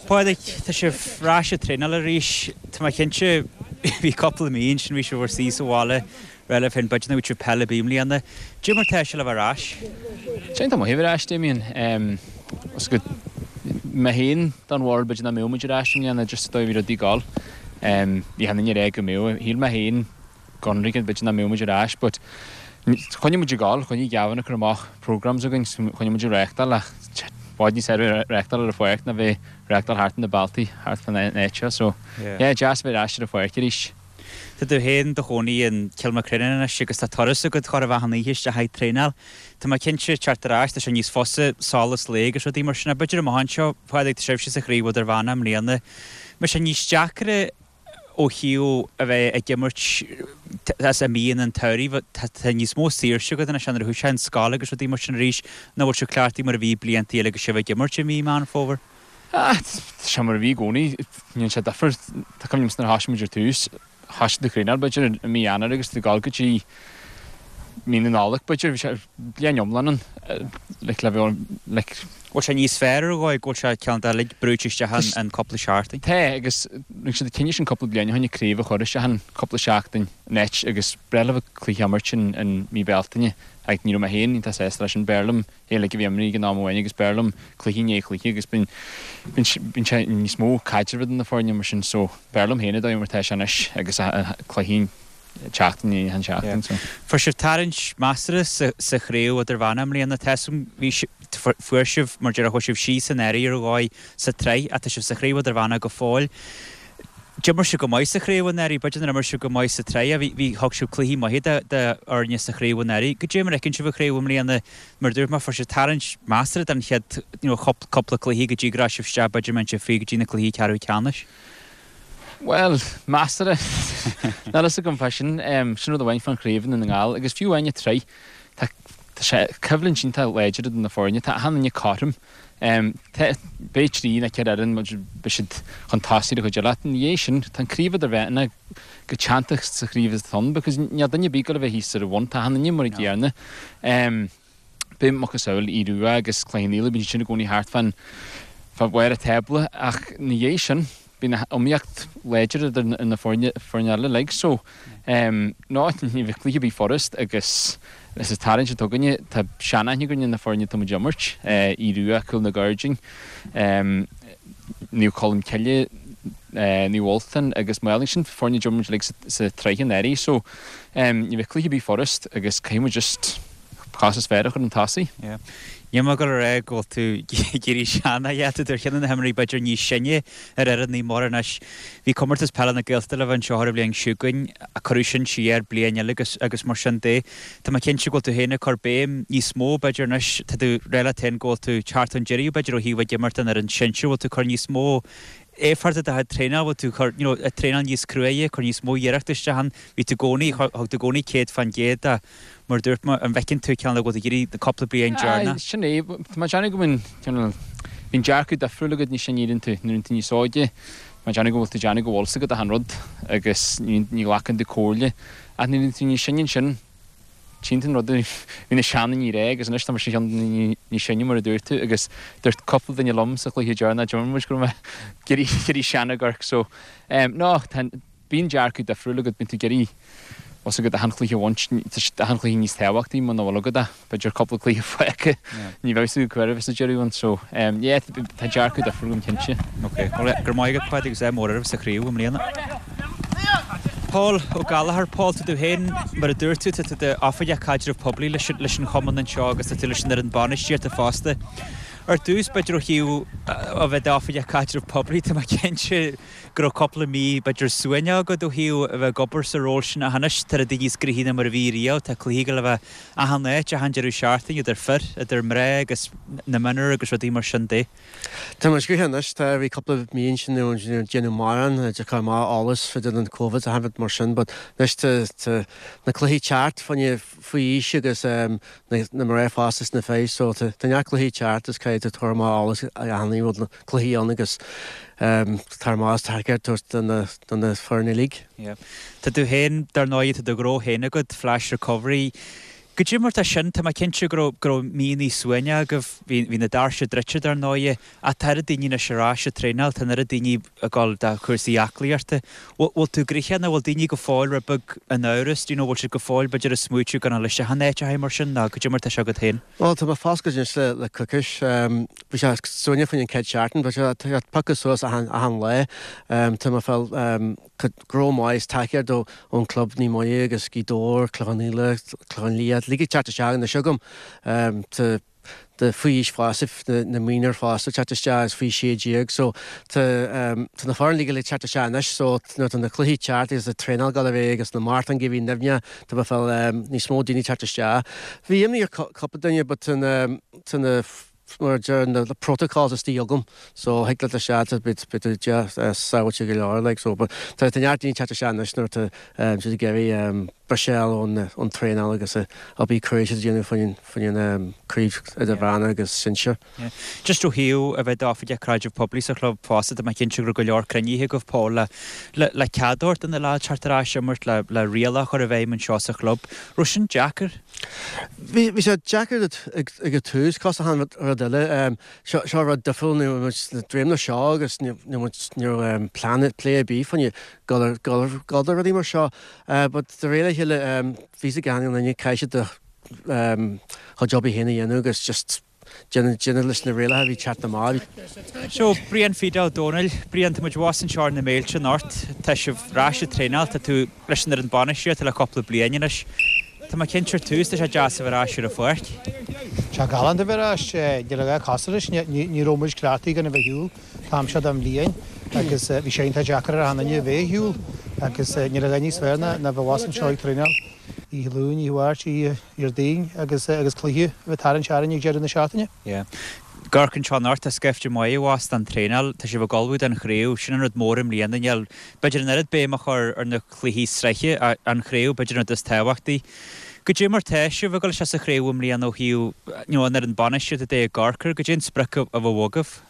Pádraig, tá sibh ar ais ag traenáil arís. Tá mé cinnte, bhí cúpla mí ansin, bhí sibh bhur suí sa bhaile, rá libh féin, b'fhéidir nach bhfaighidh sibh peil ar bith i mbliana. Cad é mar tá sé le bheith ar ais?
Tá iontach maith a bheith ar ais, Damien. Is go mé féin don bharúil b'fhéidir nach mbeadh muid ar ais i mbliana, just an dóigh a bhí rudaí ag dul. Bhí achan duine ag rá go mbeadh. Shíl mé féin go hionraic b'fhéidir nach mbeadh muid ar ais but choinnigh muid ag dul, choinnigh Gavin ag cur amach programmes againn so choinnigh muid ag reáchtáil ach i bhfad níos fearr a bheith ag reáchtáil ar an pháirc ná bheith ag reáchtáil thart ar na bealtaí thart fán áit seo so yeah deas a bheith ar ais ar an pháirc arís.
Tá tú féin i do chónaí in Cill Mochréanáin anois agus tá turas agat chóir a bheith achan oíche isteach ag traenáil. Tá mé cinnte, teacht ar ais, tá sé níos fusa, solas lae agus rudaí mar sin. Ach b'fhéidir amach anseo, Pádraig, tá sibhse sa chraobh idirmheánach i mbliana. Mbeidh sé níos deacra ó thaobh a bheith ag imirt as i mí an tsamhraidh, tá níos mó saoirse agat anois nuair a thosaíonn an scoil agus rudaí mar sin arís, nó bhfuil sé cleachtaithe mar a bhí blianta eile agus sibh ag imirt i mí Meán Fómhair?
Ah, tá sé mar a bhí i gcónaí. Níl sé difear. Tá cuimhne agamsa nuair a thosaigh muid ar tús, thosaigh tú ag traenáil b'fhéidir i mí Eanáir agus tú ag dul go dtí mí na Nollag b'fhéidir. Bhí sé bliain iomlán ann like le bheith like.
Bhfuil sé níos fearr ar dhóigh go bhfuil sé cineál de like brúite isteach in cúpla seachtain?
Tá agus rinne siad an cinneadh sin cúpla bliain ó shin an craobh a chur isteach in cúpla seachtain in áit agus b'fhearr leo cluiche a imirt in mí Bealtaine ach ní raibh mé féin iontach sásta leis sin. B'fhearr liom é uilig a bheith imeartha ag an am amháin agus b'fhearr liom cluiche i ndiaidh cluiche agus bíonn bíonn sé níos mó caidrimh idir na foirne mar sin so b'fhearr liom féin an dóigh mar tá sé anois agus cluichí seachtain i ndiaidh an seachtain so.
Fuair sibh tarraingt measartha sa sa chraobh idirmheánach i mbliana. Tá 'fhios a'm bhí fuair sibh mar déarfá chuaigh sibh síos anuraidh ar dhóigh sa tsraith ach tá sibh sa chraobh idirmheánach go fóill. D'imir sibh go maith sa chraobh anuraidh, b'fhéidir nár imir sibh go maith sa tsraith, bhí, bhí, thug sibh cluichí maithe do, do fhoirne sa chraobh anuraidh. Goidé mar a fheiceann sibh an chraobh i mbliana? Mar a dúirt mé, fuair sibh tarraingt measartha don chéad, you know, cúpla cluiche go dtí go raibh sibh isteach, b'fhéidir mbeidh sibh fríd go dtí na cluichí ceathrú ceannais.
Bhuel, measartha. Níl fhios agam fá sin. Sin rud amháin fán chraobh i nDún na nGall agus fiú amháin an tsraith, tá, tá sé coimhlint iontach láidir idir na foirne, tá achan duine cothrom. Beidh 3 nó 4 fhoireann, beidh siad chun tosaigh ar an chuid eile. Ach ina dhiaidh sin, tá an craobh idirmheánach chomh teanntach sa chraobh is atá ann because níl duine ar bith ag goil a bheith thíos ar a bhun. Tá achan duine mar an gcéanna. Beidh macasamhail Aodh Rua agus Cloich Cheann Fhaola, bíonn siad sin i gcónaí thart fán fá bharr an tábla ach ina dhiaidh sin, bíonn iomaíocht láidir idir na foirne eile uilig so no, ní bheidh cluiche ar bith furast agus Is sa tarraingt atá againne, tá seanaithne againn ar na foirne atá muid ag imirt, Aodh Rua, Cúil na gCairdín, Naomh Colm Cille, Naomh Ultan agus Maigh Eo. Sin foirne a d'imir muid uilig sa tsraith anuraidh so ní bheidh cluiche ar bith furast agus caithfidh muid just. chos is fearr a chur chun tosaigh.
Yeah. Níl mé ag dul a rá go bhfuil tú ag éirí sean ach tá tú ar cheann de na himreoirí b'fhéidir níos sine ar fhoireann Naomh Muire anois. Bhí Comórtas Peile na Gaeltachta le bheith anseo ar an bhliain seo chugainn ach cuireadh sin siar bliain eile agus agus mar sin de. Tá mé cinnte go bhfuil tú féin ag cur béim níos mó b'fhéidir anois, tá tú ag rá leat féin go bhfuil tú teacht chun deiridh b'fhéidir ó thaobh ag imirt don fhoireann sinsir, bhfuil tú ag cur níos mó éifeachta do chuid traenáil, bhfuil tú ag cur, you know, ag traenáil níos cruaidhe, ag cur níos mó iarrachta isteach ann, bhí tú i gcónaí, thug tú i gcónaí 100% ach mar a dúirt mé, an bhfeiceann tú cineál go bhfuil tú ag iarraidh na cúpla bliain deireanach?
Aye, sin é. Tá mé ag déanamh go mbíonn, cineál, bíonn dearcadh difriúil agat níos sine a éiríonn tú, nuair a bhíonn tú níos óige, tá mé ag déanamh go bhfuil tú ag déanamh go bhfuil 's agat achan rud agus ní, ní ghlacann tú comhairle. Ach nuair a bhíonn tú níos sine ansin, tchíonn tú an rud a bhí na seandaoine ag rá agus anois tá mise ar cheann de na daoine níos sine mar a dúirt tú agus dúirt cúpla duine liom sa chluiche deireanach a d'imir muid go raibh mé ag éirí, ag éirí sean i gCorcaigh so, em, no, tá, Bíonn dearcadh difriúil agat, bíonn tú ag iarraidh, bhfuil 's agat achan chluiche a bhaint, tá achan chluiche níos tábhachtaí muna bhfuil agat ach b'fhéidir cúpla cluiche fágtha, ní bheidh 's agat cá huair a bheas an deireadh ann so yeah tá dearcadh difriúil agam cinnte.
Ok, bhuel go raibh maith agat Pádraig agus ádh mór oraibh sa chraobh i mbliana. Paul Ó Gallchóir, Paul, tá tú féin, mar a dúirt tú, tá tú i d'oifigeach caidreamh poiblí leis an chumann anseo agus tá tú leis an fhoireann bainistíochta fosta. Ar dtús, b'fhéidir ó thaobh a bheith i d'oifigeach caidreamh poiblí, tá mé cinnte, go raibh cúpla mí, b'fhéidir, suaimhneach agat ó thaobh a bheith ag obair sa ról sin ach anois tá rudaí níos gnoithí ná mar a bhí riamh, tá cluichí ag dul a bheith achan áit, achan deireadh seachtaine, idir fir, idir mná agus na mionúir agus rudaí mar sin de.
Tá muid gnoitheach anois, tá, bhí cúpla mí ansin ní raibh déanamh mórán, ag cur amach eolas fá dtaobh den Covid achan rud mar sin but anois tá, tá na cluichí teacht fá choinne faoi aois agus na mná fosta is na fir so tá neart cluichí teacht is caithfidh tú tabhairt amach eolas achan rud na cluichí ann agus tabhairt amach is tacaíocht tabhairt do na do na foirne uilig.
Yeah. Tá tú féin, dar ndóigh, tá do ghnó féin agat, Flash Recovery. Goidé mar tá sin, tá mé cinnte go raibh go raibh míonna suaimhneacha agaibh, bhí bhí na doirse druidte dar ndóigh, ach tá oiread daoine anois ar ais ag traenáil, tá an oiread daoine ag dul do chúrsaí aclaíochta. Bhfuil bhfuil tú gnoitheach nó bhfuil daoine go fóill rud beag in amhras, do you know, bhfuil siad go fóill b'fhéidir ag smaoitiú gan a dhul isteach in áiteacha mar sin nó goidé mar tá sé agat féin?
Bhuel, tá mé foscailte anois le le coicís. Bhí sé suaimhneach fá choinne an chéad seachtain, but tá sé ag piocadh suas achan achan lá. Tá mé ag fáil gnó maith is tacaíocht ó ón club Naomh Muire agus Gaoth Dobhair, Clochán Liath, Clochán Liath, uilig ag teacht isteach anois agam. Tá tá faoi aois fosta, na mionúir fosta ag teacht isteach agus faoi 16 so tá tá na foirne uilig ag teacht isteach anois so nuair atá na cluichí ag teacht agus an traenáil ag dul ar aghaidh agus na maratóin ag bheith nimhneach tá mé ag fáil níos mó daoine ag teacht isteach. Bhí imní ar cúpla duine but tá na tá na mar a deir na protocols istigh agam so thig leat isteach beidh tú sábháilte go leor like so but tá tá neart daoine ag teacht isteach anois nuair atá siad ag iarraidh briseadh ón ón traenáil agus obair cruaidh siad ag déanamh fá choinne an craobh idirmheánach agus sinsir.
Just ó thaobh a bheith i d'oifigeach caidreamh poiblí sa chlub fosta tá mé cinnte go raibh go leor cruinnithe agaibh Paul le le le cead a thabhairt do na leaids teacht ar ais imirt le le rialacha a chur i bhfeidhm anseo sa chlub. Raibh sin deacair?
Bhí, bhí sé deacair ag an tús, cosúil le achan rud eile. Seo, seo rud difriúil, ní raibh muid sna dréimne seo agus ní, ní raibh muid, ní raibh plean, plé ar bith fá choinne dul ar, dul ar, dul do rudaí mar seo. But de réir a chéile, bhí a fhios ag achan duine caithfidh siad a chuid obair féin a dhéanamh agus just, Déanamh leis na rialacha a bhí teacht amach.
So, Brian Phete Ó Dónaill, Brian, tá muid abhus anseo ar na Méilte anocht. Tá sibh ar ais ag traenáil, tá tú leis an fhoireann bainistíochta le cúpla bliain anois. Tá mé cinnte ar tús, tá sé deas a bheith ar ais ar an pháirc.
Tá sé galánta a bheith ar ais. Níl a dhath cosúil leis. Ní raibh muid cleachtaithe gan a bheith ar shiúl an t-am seo den bhliain agus bhí sé iontach deacair ar achan duine a bheith ar shiúl agus níl a dhath níos fearr ná a bheith abhus anseo ag traenáil. Oíche Luain, Oíche Mháirt, Oíche Dhéardaoin agus agus cluiche a bheith tarraingt orainn ag deireadh na seachtaine.
Yeah. Ag amharc anseo anocht, tá scaifte maith abhus don traenáil, tá sibh ag ullmhú don chraobh, sin an rud mór i mbliana, níl b'fhéidir an oiread béim a chur ar na cluichí sraithe, an chraobh b'fhéidir an rud is tábhachtaí. Goidé mar tá sibh ag dul isteach sa chraobh i mbliana ó thaobh, you know, an fhoireann bainistíochta de i gCorcaigh, goidé an sprioc a bheadh agaibh?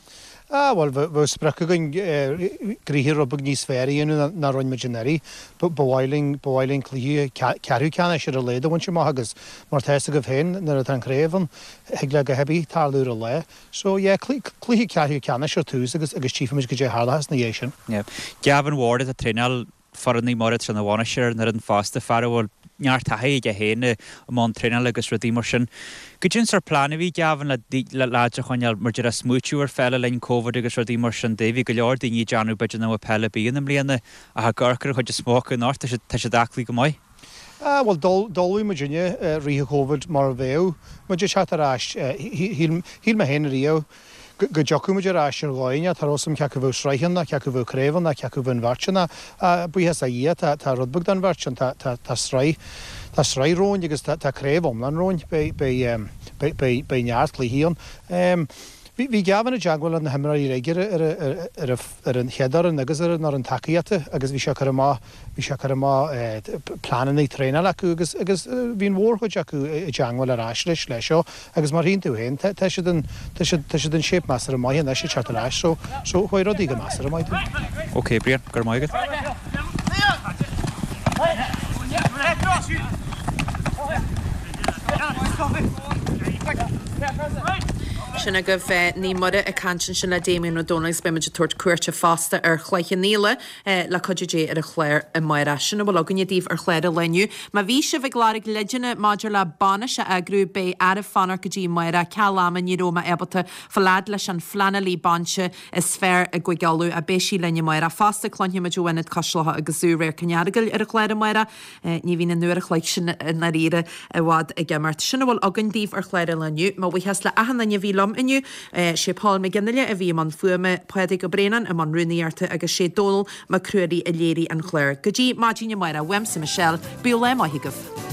Ah, bhuel, bheadh sprioc againn gnoithe rud beag níos fearr a dhéanamh ná rinne muid anuraidh. Ba mhaith linn, ba mhaith linn cluiche ceathrú ceannais ar a laghad a bhaint amach agus mar tá fhios agaibh féin, nuair atá an chraobh ann, thig le a dhath ar bith tarlú ar an lá. So, yeah, cluiche ceathrú ceannais ar tús agus agus tchífimid goidé a tharlóchas ina dhiaidh sin.
Yeah. Gavin Ward atá ag traenáil foireann Naomh Muire tá ina bhainisteoir ar an fhoireann fosta, fear a bhfuil neart taithí aige féin i mbun traenála agus rudaí mar sin. Goidé an sórt plean a bhí ag Gavin le le leaids a choinneáil mar déarfá ag smaoitiú ar pheil le linn Covid agus rudaí mar sin de. Bhí go leor daoine ag déanamh b'fhéidir nach mbeadh peil ar bith ann i mbliana ach ag amharc ar an chuid is mó acu anocht tá siad tá siad aclaí go maith.
Ah, bhuel, d'ullmhaigh muidinne i rith an Chóivid mar a bheadh muid ag teacht ar ais. Shíl mé féin ariamh go dtiocfadh muid ar ais ar dhóigh inteacht, cha raibh 'fhios a'm cé acu bheadh sraith ann ná cé acu bheadh craobh ann ná cé acu bheadh an bheirt ann ach buíochas le Dhia tá tá rud beag den bheirt ann, tá tá tá sraith tá sraith romhainn agus tá tá craobh iomlán romhainn, beidh beidh beidh beidh neart cluichí ann. Bhí bhí Gavin i dteagmháil le na himreoirí uilig ar ar ar ar an chéad fhoireann agus ar an fhoireann tacaíochta agus bhí sé ag cur amach Bhí sé ag cur amach pleananna traenála acu agus agus bhí an mhórchuid acu i dteangmháil ar ais leis leis seo agus mar a tchíonn tú féin tá tá siad in tá siad tá siad in shape measartha maith anois ag teacht ar ais so so chuaigh rudaí go measartha maith dúinn.
Ok Brian, go raibh maith agat.
Sin agaibh Naomh Muire ag caint ansin le Damien Ó Dónaill agus beidh muid ag tabhairt cuairte fosta ar Chloich Cheann Fhaola. Le cuidiú Dé ar an chlár amárach. Sin a bhfuil againne daoibh ar chlár an lae inniu. Má bhí sibh ag lorg leideanna maidir le bainis a eagrú, beidh oraibh fanacht go dtí amárach. Ceal ama ní raibh mé ábalta fáil fhad leis an phleanálaí bainise is fearr i gCúige Uladh ach beidh sí linn amárach. Fosta cluinfidh muid ó Ionad Cois Locha agus Zú Radharc an Earagail ar an chlár amárach. Ní bhíonn an uair a chloig sin i ndáiríre i bhfad ag imeacht. Sin a bhfuil againn daoibh ar chlár an lae inniu. Mo bhuíochas le achan duine a bhí liom inniu. Sé Paul McGinley a bhí i mbun fuaime, Pádraig Ó Braonáin i mbun rúnaíochta agus sé Dónal Mac Ruairí a léirigh an clár. Go dtí maidin amárach, uaimse Michelle, bíodh lá maith agaibh.